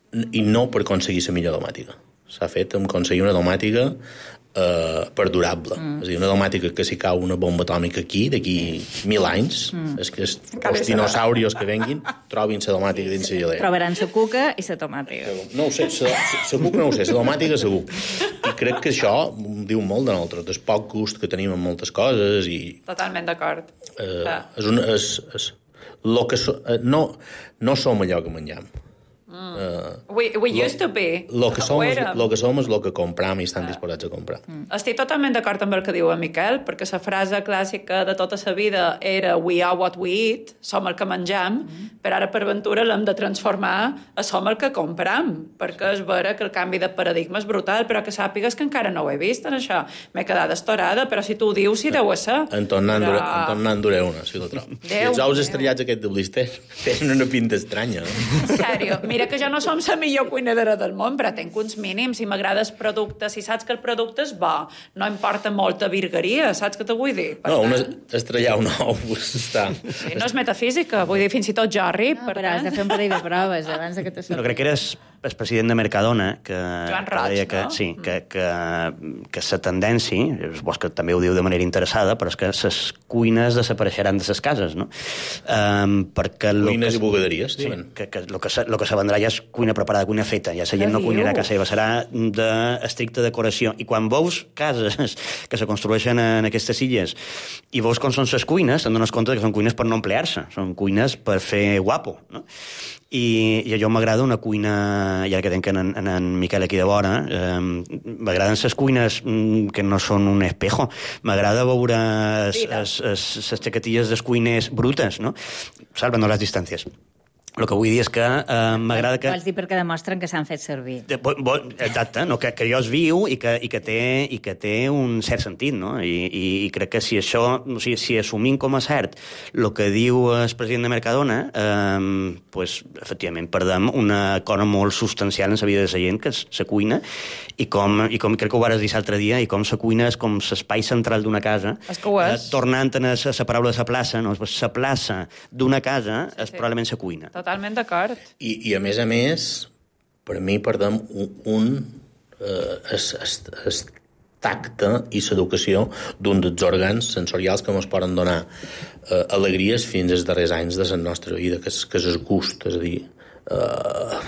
i no per aconseguir la millor domàtica. S'ha fet amb aconseguir una domàtica eh, perdurable. Mm. És a dir, una domàtica que si cau una bomba atòmica aquí, d'aquí mil anys, mm. és que els, els dinosaurios que venguin trobin la domàtica dins la gelera. Trobaran la cuca i la tomàtica. No ho sé, la cuca no ho sé, la domàtica segur. I crec que això diu molt de nosaltres, del poc gust que tenim en moltes coses. I, totalment d'acord. Eh, és un, és, és, lo que so, eh, no, no som allò que mengem. Mm. Uh, we we lo, used to be. Lo que som és lo que som és lo que compram i estan uh. disposats a comprar. Mm. Estic totalment d'acord amb el que diu en Miquel, perquè la frase clàssica de tota la vida era we are what we eat, som el que mengem, mm. però ara per ventura l'hem de transformar a som el que compram, perquè és vera que el canvi de paradigma és brutal, però que sàpigues que encara no ho he vist en això. M'he quedat estorada, però si tu ho dius, sí deu ser. En tornant però... duré una, si la trobo. I els ous estrellats aquests de blister tenen una pinta estranya. En sèrio, mira que jo no som la millor cuinadora del món, però tenc uns mínims, si m'agrada el producte, si saps que el producte és bo, no importa molta virgueria, saps què te vull dir? Per no, una, estrellar un ou està... Sí, no és metafísica, vull dir, fins i tot Jorri. No, però has de fer un parell de proves abans de que te sortis. No, crec que eres el president de Mercadona, que, Joan Roig, que deia que, no? sí, que, que, que la tendència, és que també ho diu de manera interessada, però és que les cuines desapareixeran de les cases, no? Um, perquè cuines que, i bugaderies, sí, diuen. Que, que, lo que, se, lo que se vendrà ja és cuina preparada, cuina feta, ja la gent no cuinarà a casa seva, serà d'estricta decoració. I quan veus cases que se construeixen en aquestes illes i veus com són les cuines, te'n dones compte que són cuines per no emplear-se, són cuines per fer guapo, no? I, i a jo m'agrada una cuina, ja que tenc en, en, en Miquel aquí de vora, eh, m'agraden les cuines que no són un espejo, m'agrada veure les xaquetilles dels cuiners brutes, no? Salvando les distàncies. El que vull dir és que eh, m'agrada que... Vols dir perquè demostren que s'han fet servir. De, bo, bo, exacte, no? que, que jo es viu i que, i, que té, i que té un cert sentit, no? I, i, i crec que si això, o sigui, si assumim com a cert el que diu el president de Mercadona, eh, pues, efectivament, perdem una cosa molt substancial en la vida de la gent, que és la cuina, i com, i com crec que ho vares dir l'altre dia, i com la cuina és com l'espai central d'una casa. És que ho és. Eh, tornant a la paraula de la plaça, no? La plaça d'una casa sí, és sí. probablement la cuina. Totalment d'acord. I, I, a més a més, per mi perdem un... un eh, es, es, es tacte i l'educació d'un dels òrgans sensorials que ens poden donar eh, alegries fins als darrers anys de la nostra vida, que és, que és el gust, és a dir... Eh,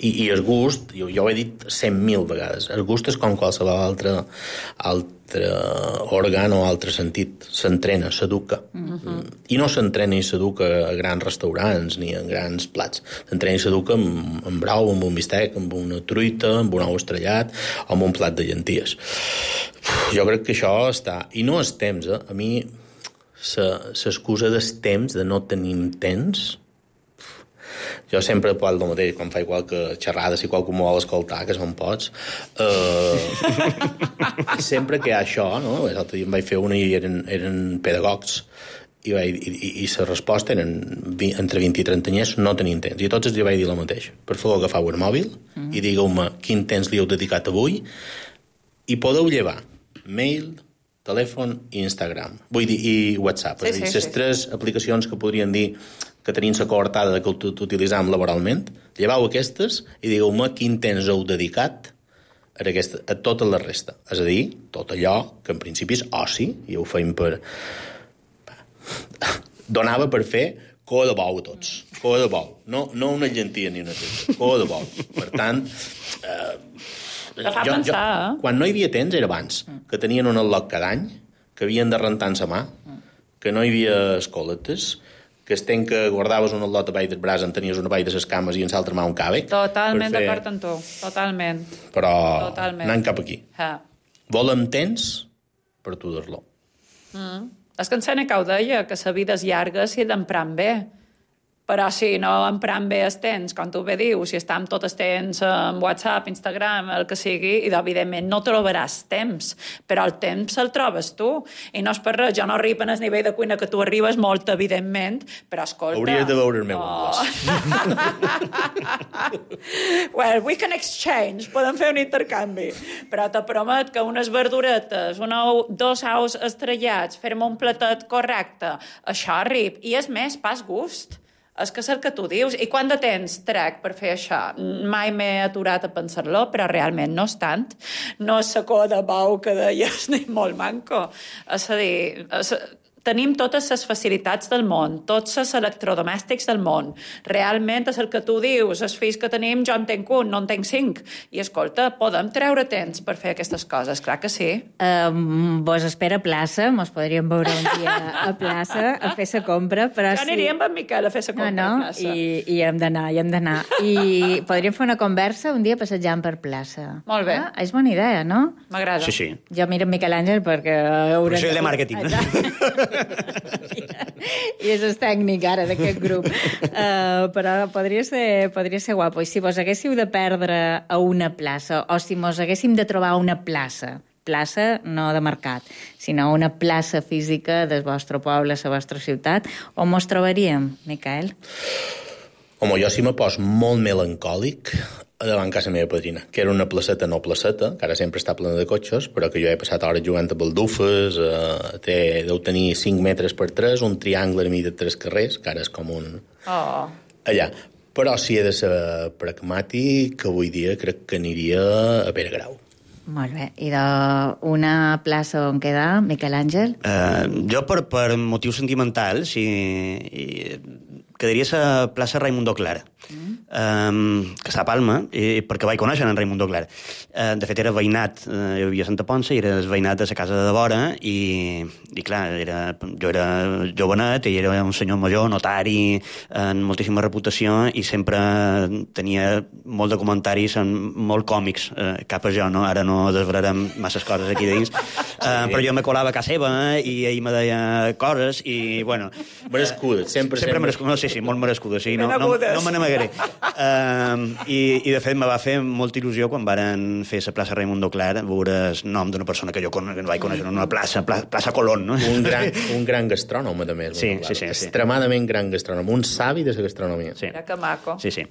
i, i el gust, jo, jo ho he dit cent mil vegades, el gust és com qualsevol altre, altre òrgan o altre sentit, s'entrena, s'educa. Uh-huh. I no s'entrena i s'educa a grans restaurants ni en grans plats, s'entrena i s'educa amb, amb brou, amb un bistec, amb una truita, amb un ou estrellat o amb un plat de llenties. Uf, jo crec que això està... I no és temps, eh? A mi l'excusa del temps, de no tenim temps... Jo sempre parlo del mateix, quan faig qualque xerrada, si qualcú m'ho vol escoltar, que són pots. Uh, sempre que hi ha això, no? L'altre dia em vaig fer una i eren, eren pedagogs, i, vaig, i, i, i la resposta eren entre vint i trenta anyers, no tenien temps. I a tots els vaig dir el mateix. Per favor, agafeu el mòbil mm. i digueu-me quin temps li heu dedicat avui i podeu llevar mail, telèfon i Instagram. Vull dir, i WhatsApp. Sí, és a dir, sí, les sí. tres aplicacions que podrien dir que tenim la coartada que utilitzam laboralment, llevau aquestes i digueu-me quin temps heu dedicat a, aquesta, a tota la resta. És a dir, tot allò que en principi és oci, i ho feim per... Donava per fer coa de bou a tots. Coa de bou. No, no una llentia ni una teta. Coa de bou. Per tant... Eh, Te fa jo, pensar, jo, eh? Quan no hi havia temps era abans, que tenien un al·loc cada any, que havien de rentar en sa mà, que no hi havia escoletes, que es ten que guardaves una lota baix del braç, en tenies una baix de les cames i en l'altra mà un càvec. Totalment fer... d'acord amb tu, totalment. Però totalment. anant cap aquí. Ha. Volem temps per tu dir-lo. Mm. És que en Seneca ho deia, que la vida és llarga si l'empram bé. Però si no empram bé el temps, com tu bé dius, si estem tot el temps en WhatsApp, Instagram, el que sigui, i evidentment no trobaràs temps, però el temps el trobes tu. I no és per res, jo no arribo en el nivell de cuina que tu arribes molt, evidentment, però escolta... Hauries de veure el meu oh. Well, we can exchange, podem fer un intercanvi. Però te promet que unes verduretes, una, dos ous estrellats, fer-me un platet correcte, això arriba. I és més, pas gust. És que és el que tu dius. I quant de temps trec per fer això? Mai m'he aturat a pensar-lo, però realment no és tant. No és la cua de bou que deies, ni molt manco. És a dir... És... Tenim totes les facilitats del món, tots els electrodomèstics del món. Realment és el que tu dius, els fills que tenim, jo en tenc un, no en tenc cinc. I escolta, podem treure temps per fer aquestes coses, clar que sí. Um, vos espera plaça, mos podríem veure un dia a plaça a fer la compra, però ja sí... aniríem amb en Miquel a fer la compra no, no, a plaça. I, i hem d'anar, i hem d'anar. I podríem fer una conversa un dia passejant per plaça. Molt bé. Ah, és bona idea, no? M'agrada. Sí, sí. Jo miro en Miquel Àngel perquè... Però això és de màrqueting, no? I és el tècnic ara d'aquest grup. Uh, però podria ser, podria ser guapo. I si vos haguéssiu de perdre a una plaça, o si mos haguéssim de trobar una plaça, plaça no de mercat, sinó una plaça física del vostre poble, la vostra ciutat, on mos trobaríem, Miquel? Home, jo si me pos molt melancòlic davant casa meva padrina, que era una placeta no placeta, que ara sempre està plena de cotxes, però que jo he passat hores jugant a baldufes, eh, té, deu tenir cinc metres per tres, un triangle a mi de tres carrers, que ara és com un... Oh. Allà. Però si he de ser pragmàtic, avui dia crec que aniria a Pere Grau. Molt bé. I d'una plaça on queda, Miquel Àngel? Uh, jo, per, per motius sentimentals, i, i quedaria a la plaça Raimundo Clara, mm. um, que està a Palma, i, perquè vaig conèixer en Raimundo Clara. Uh, de fet, era veïnat, uh, hi havia Santa Ponça, i era el veïnat de la casa de vora, i, i clar, era, jo era jovenet, i era un senyor major, notari, amb moltíssima reputació, i sempre tenia molt de comentaris molt còmics, uh, cap a jo, no? Ara no desvelarem masses coses aquí dins, uh, però jo me colava a casa seva, i ell me deia coses, i, bueno... Merescudes, sempre, sempre. Merescudes, no, sí, sí, molt merescudes, sí, no, no, no me n'amagaré. Uh, i, I, de fet, me va fer molta il·lusió quan varen fer la plaça Raimundo Clar, veure el nom d'una persona que jo con, que no vaig conèixer en una plaça, plaça, plaça Colón, no? Un gran, un gran gastrònom, a més. Sí, sí, sí, sí. Extremadament gran gastrònom, un savi de la gastronomia. Sí. Mira que maco. Sí, sí.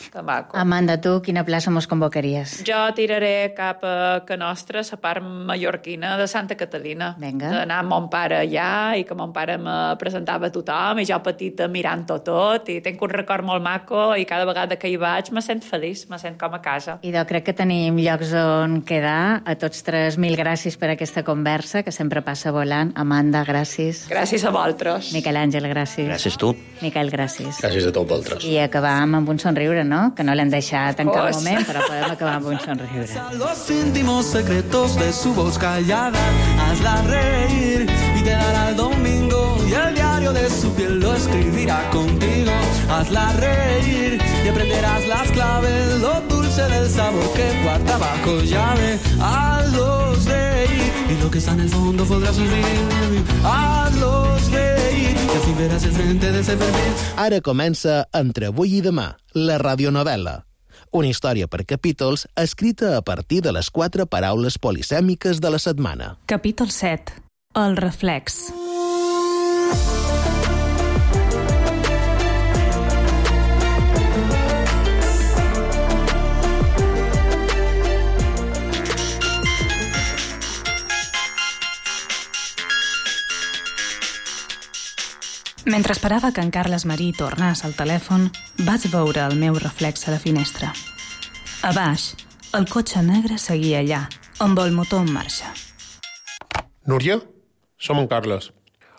Que maco. Amanda, tu quina plaça mos convocaries? Jo tiraré cap a que nostra, la part mallorquina de Santa Catalina. Vinga. D'anar amb mon pare allà i que mon pare me presentava a tothom i jo petita mirant-ho tot i tinc un record molt maco i cada vegada que hi vaig me sent feliç, me sent com a casa. I jo crec que tenim llocs on quedar. A tots tres, mil gràcies per aquesta conversa, que sempre passa volant. Amanda, gràcies. Gràcies a vosaltres. Miquel Àngel, gràcies. Gràcies tu. Miquel, gràcies. Gràcies a tots vosaltres. I acabam amb un somriure, no? Que no l'hem deixat en cap moment, però podem acabar amb un somriure. Los íntimos secretos de su voz callada, hazla reír y te dará el domingo y el diario de su piel lo escribirá contigo. Hazla reír y aprenderás las claves, lo dulce del sabor que guarda bajo llave. Hazlos reír y lo que está en el fondo podrás vivir. Hazlos reír y al fin verás el frente de ese perfil. Ara comença Entre avui i demà, la radionovel·la. Una història per capítols escrita a partir de les quatre paraules polisèmiques de la setmana. Capítol set. El reflex. Mentre esperava que en Carles Marí tornés al telèfon, vaig veure el meu reflex a la finestra. A baix, el cotxe negre seguia allà, amb el motor en marxa. Núria, som en Carles.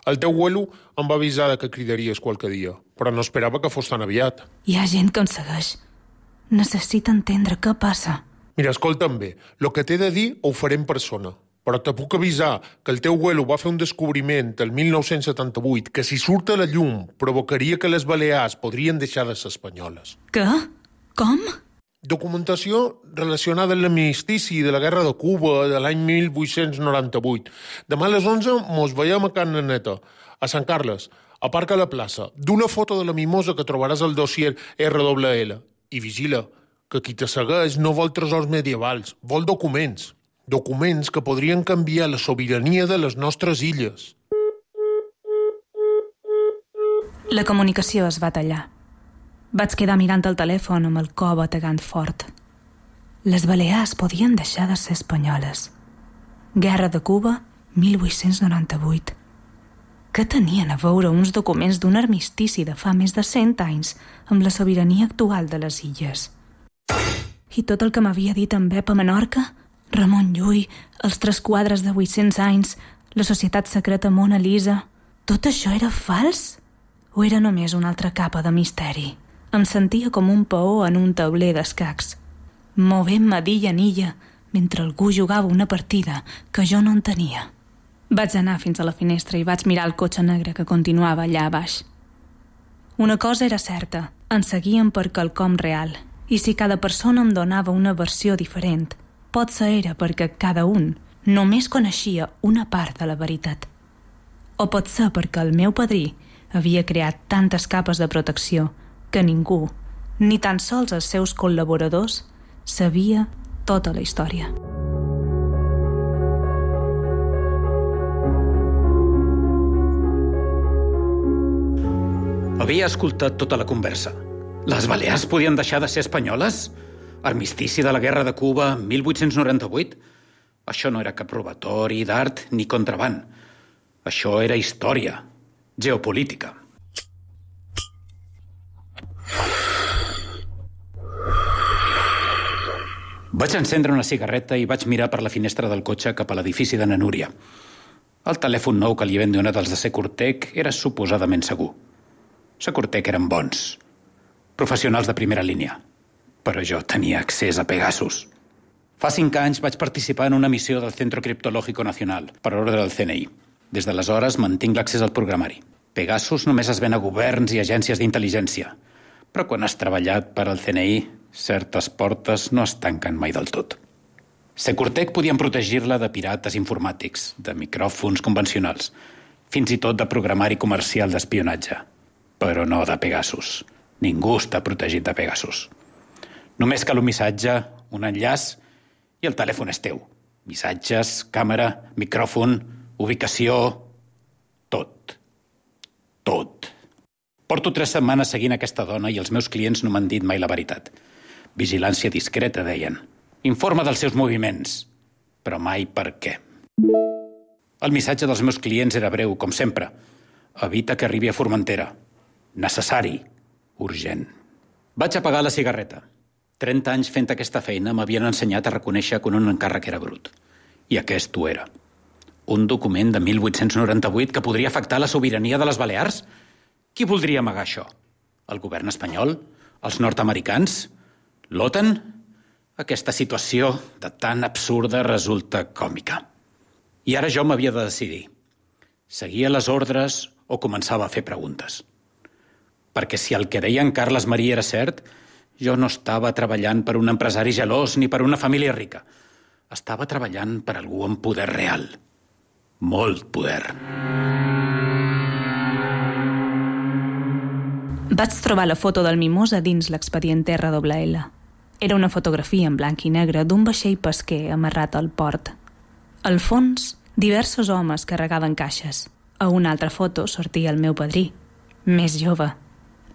El teu abuelo em va avisar que cridaries qualque dia, però no esperava que fos tan aviat. Hi ha gent que em segueix. Necessita entendre què passa. Mira, escolta'm bé, el que t'he de dir ho faré en persona. Però te puc avisar que el teu abuelo va fer un descobriment el mil nou-cents setanta-vuit que si surt a la llum provocaria que les Balears podrien deixar de ser espanyoles. Què? Com? Documentació relacionada amb l'armistici de la Guerra de Cuba de l'any mil vuit-cents noranta-vuit. Demà a les onze mos veiem a Can Naneta, a Sant Carles, a Parc a la plaça. D'una foto de la mimosa que trobaràs al dossier erre doble ele. I vigila, que qui te segueix no vol tresors medievals, vol documents. Documents que podrien canviar la sobirania de les nostres illes. La comunicació es va tallar. Vaig quedar mirant el telèfon amb el cor bategant fort. Les Balears podien deixar de ser espanyoles. Guerra de Cuba, mil vuit-cents noranta-vuit. Què tenien a veure uns documents d'un armistici de fa més de cent anys amb la sobirania actual de les illes? I tot el que m'havia dit en Pep a Menorca, Ramon Llull, els tres quadres de vuit-cents anys, la societat secreta Mona Lisa, tot això era fals? O era només una altra capa de misteri? Em sentia com un peó en un tauler d'escacs, movent-me d'illa en illa mentre algú jugava una partida que jo no entenia. Vaig anar fins a la finestra i vaig mirar el cotxe negre que continuava allà a baix. Una cosa era certa, ens seguien per quelcom real, i si cada persona em donava una versió diferent, potser era perquè cada un només coneixia una part de la veritat. O pot ser perquè el meu padrí havia creat tantes capes de protecció que ningú, ni tan sols els seus col·laboradors, sabia tota la història. Havia escoltat tota la conversa. Les Balears podien deixar de ser espanyoles? Armistici de la Guerra de Cuba, mil vuit-cents noranta-vuit? Això no era cap robatori d'art ni contraban. Això era història, geopolítica. Vaig encendre una cigarreta i vaig mirar per la finestra del cotxe cap a l'edifici de na Núria. El telèfon nou que li havien donat els de Securtec era suposadament segur. Securtec eren bons, professionals de primera línia, però jo tenia accés a Pegasus. Fa cinc anys vaig participar en una missió del Centro Criptológico Nacional, per ordre del ce ene i. Des d'aleshores mantinc l'accés al programari. Pegasus només es ven a governs i agències d'intel·ligència, però quan has treballat per al ce ene i, certes portes no es tanquen mai del tot. Securtec podien protegir-la de pirates informàtics, de micròfons convencionals, fins i tot de programari comercial d'espionatge, però no de Pegasus. Ningú està protegit de Pegasus. Només cal un missatge, un enllaç, i el telèfon és teu. Missatges, càmera, micròfon, ubicació... Tot. Tot. Porto tres setmanes seguint aquesta dona i els meus clients no m'han dit mai la veritat. Vigilància discreta, deien. Informa dels seus moviments, però mai per què. El missatge dels meus clients era breu, com sempre. Evita que arribi a Formentera. Necessari. Urgent. Vaig apagar la cigarreta. trenta anys fent aquesta feina m'havien ensenyat a reconèixer quan un encàrrec era brut. I aquest ho era. Un document de mil vuit-cents noranta-vuit que podria afectar la sobirania de les Balears? Qui voldria amagar això? El govern espanyol? Els nord-americans? L'OTAN? Aquesta situació de tan absurda resulta còmica. I ara jo m'havia de decidir. Seguia les ordres o començava a fer preguntes. Perquè si el que deia en Carles Marí era cert, jo no estava treballant per un empresari gelós ni per una família rica. Estava treballant per algú amb poder real. Molt poder. Vaig trobar la foto del Mimosa dins l'expedient erre doble ele. Era una fotografia en blanc i negre d'un vaixell pesquer amarrat al port. Al fons, diversos homes carregaven caixes. A una altra foto sortia el meu padrí, més jove,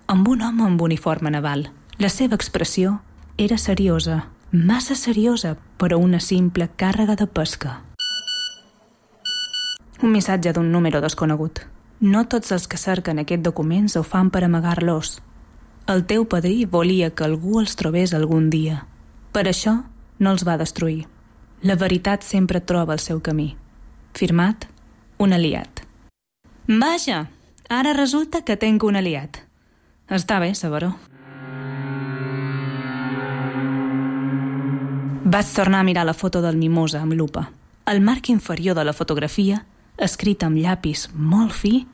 amb un home amb uniforme naval. La seva expressió era seriosa, massa seriosa per a una simple càrrega de pesca. Un missatge d'un número desconegut. No tots els que cerquen aquests documents ho fan per amagar-los. El teu padrí volia que algú els trobés algun dia. Per això no els va destruir. La veritat sempre troba el seu camí. Firmat, un aliat. Vaja, ara resulta que tenc un aliat. Està bé saber-ho. Vaig tornar a mirar la foto del Mimosa amb lupa. Al marc inferior de la fotografia, escrit amb llapis molt fi,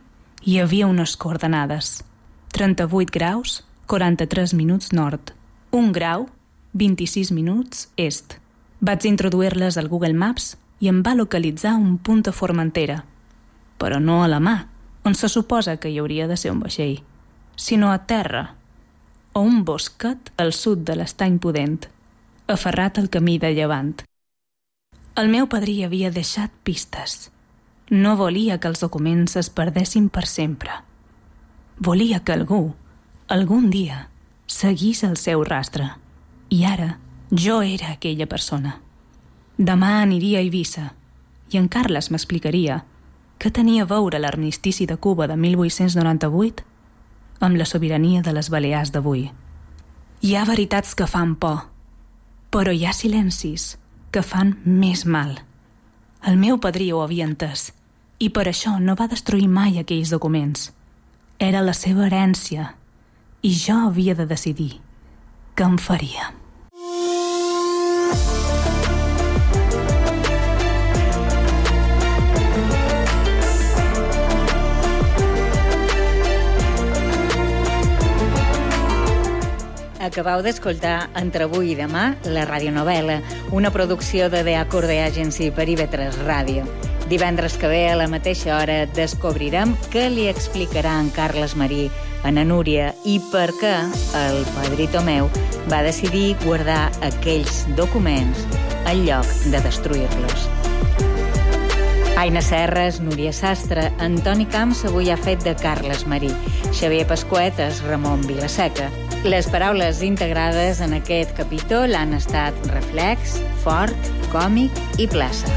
hi havia unes coordenades. trenta-vuit graus, quaranta-tres minuts nord. un grau, vint-i-sis minuts est. Vaig introduir-les al Google Maps i em va localitzar un punt a Formentera. Però no a la mà, on se suposa que hi hauria de ser un vaixell, sinó a terra, o un bosquet al sud de l'Estany Pudent, aferrat al camí de llevant. El meu padrí havia deixat pistes. No volia que els documents es perdessin per sempre. Volia que algú, algun dia, seguís el seu rastre. I ara jo era aquella persona. Demà aniria a Eivissa i en Carles m'explicaria què tenia a veure l'armistici de Cuba de mil vuit-cents noranta-vuit amb la sobirania de les Balears d'avui. Hi ha veritats que fan por, però hi ha silencis que fan més mal. El meu padrí ho havia entès i per això no va destruir mai aquells documents. Era la seva herència i jo havia de decidir què em faria. Acabau d'escoltar Entre avui i demà, la radionovel·la, una producció de The Acorde Agency per I V tres Ràdio. Divendres que ve, a la mateixa hora, descobrirem què li explicarà en Carles Marí a na Núria i per què el padrí Tomeu va decidir guardar aquells documents en lloc de destruir-los. Aina Serres, Núria Sastre, Antoni Camps avui ha fet de Carles Marí, Xavier Pasquetes, Ramon Vilaseca. Les paraules integrades en aquest capítol han estat reflex, fort, còmic i plaça.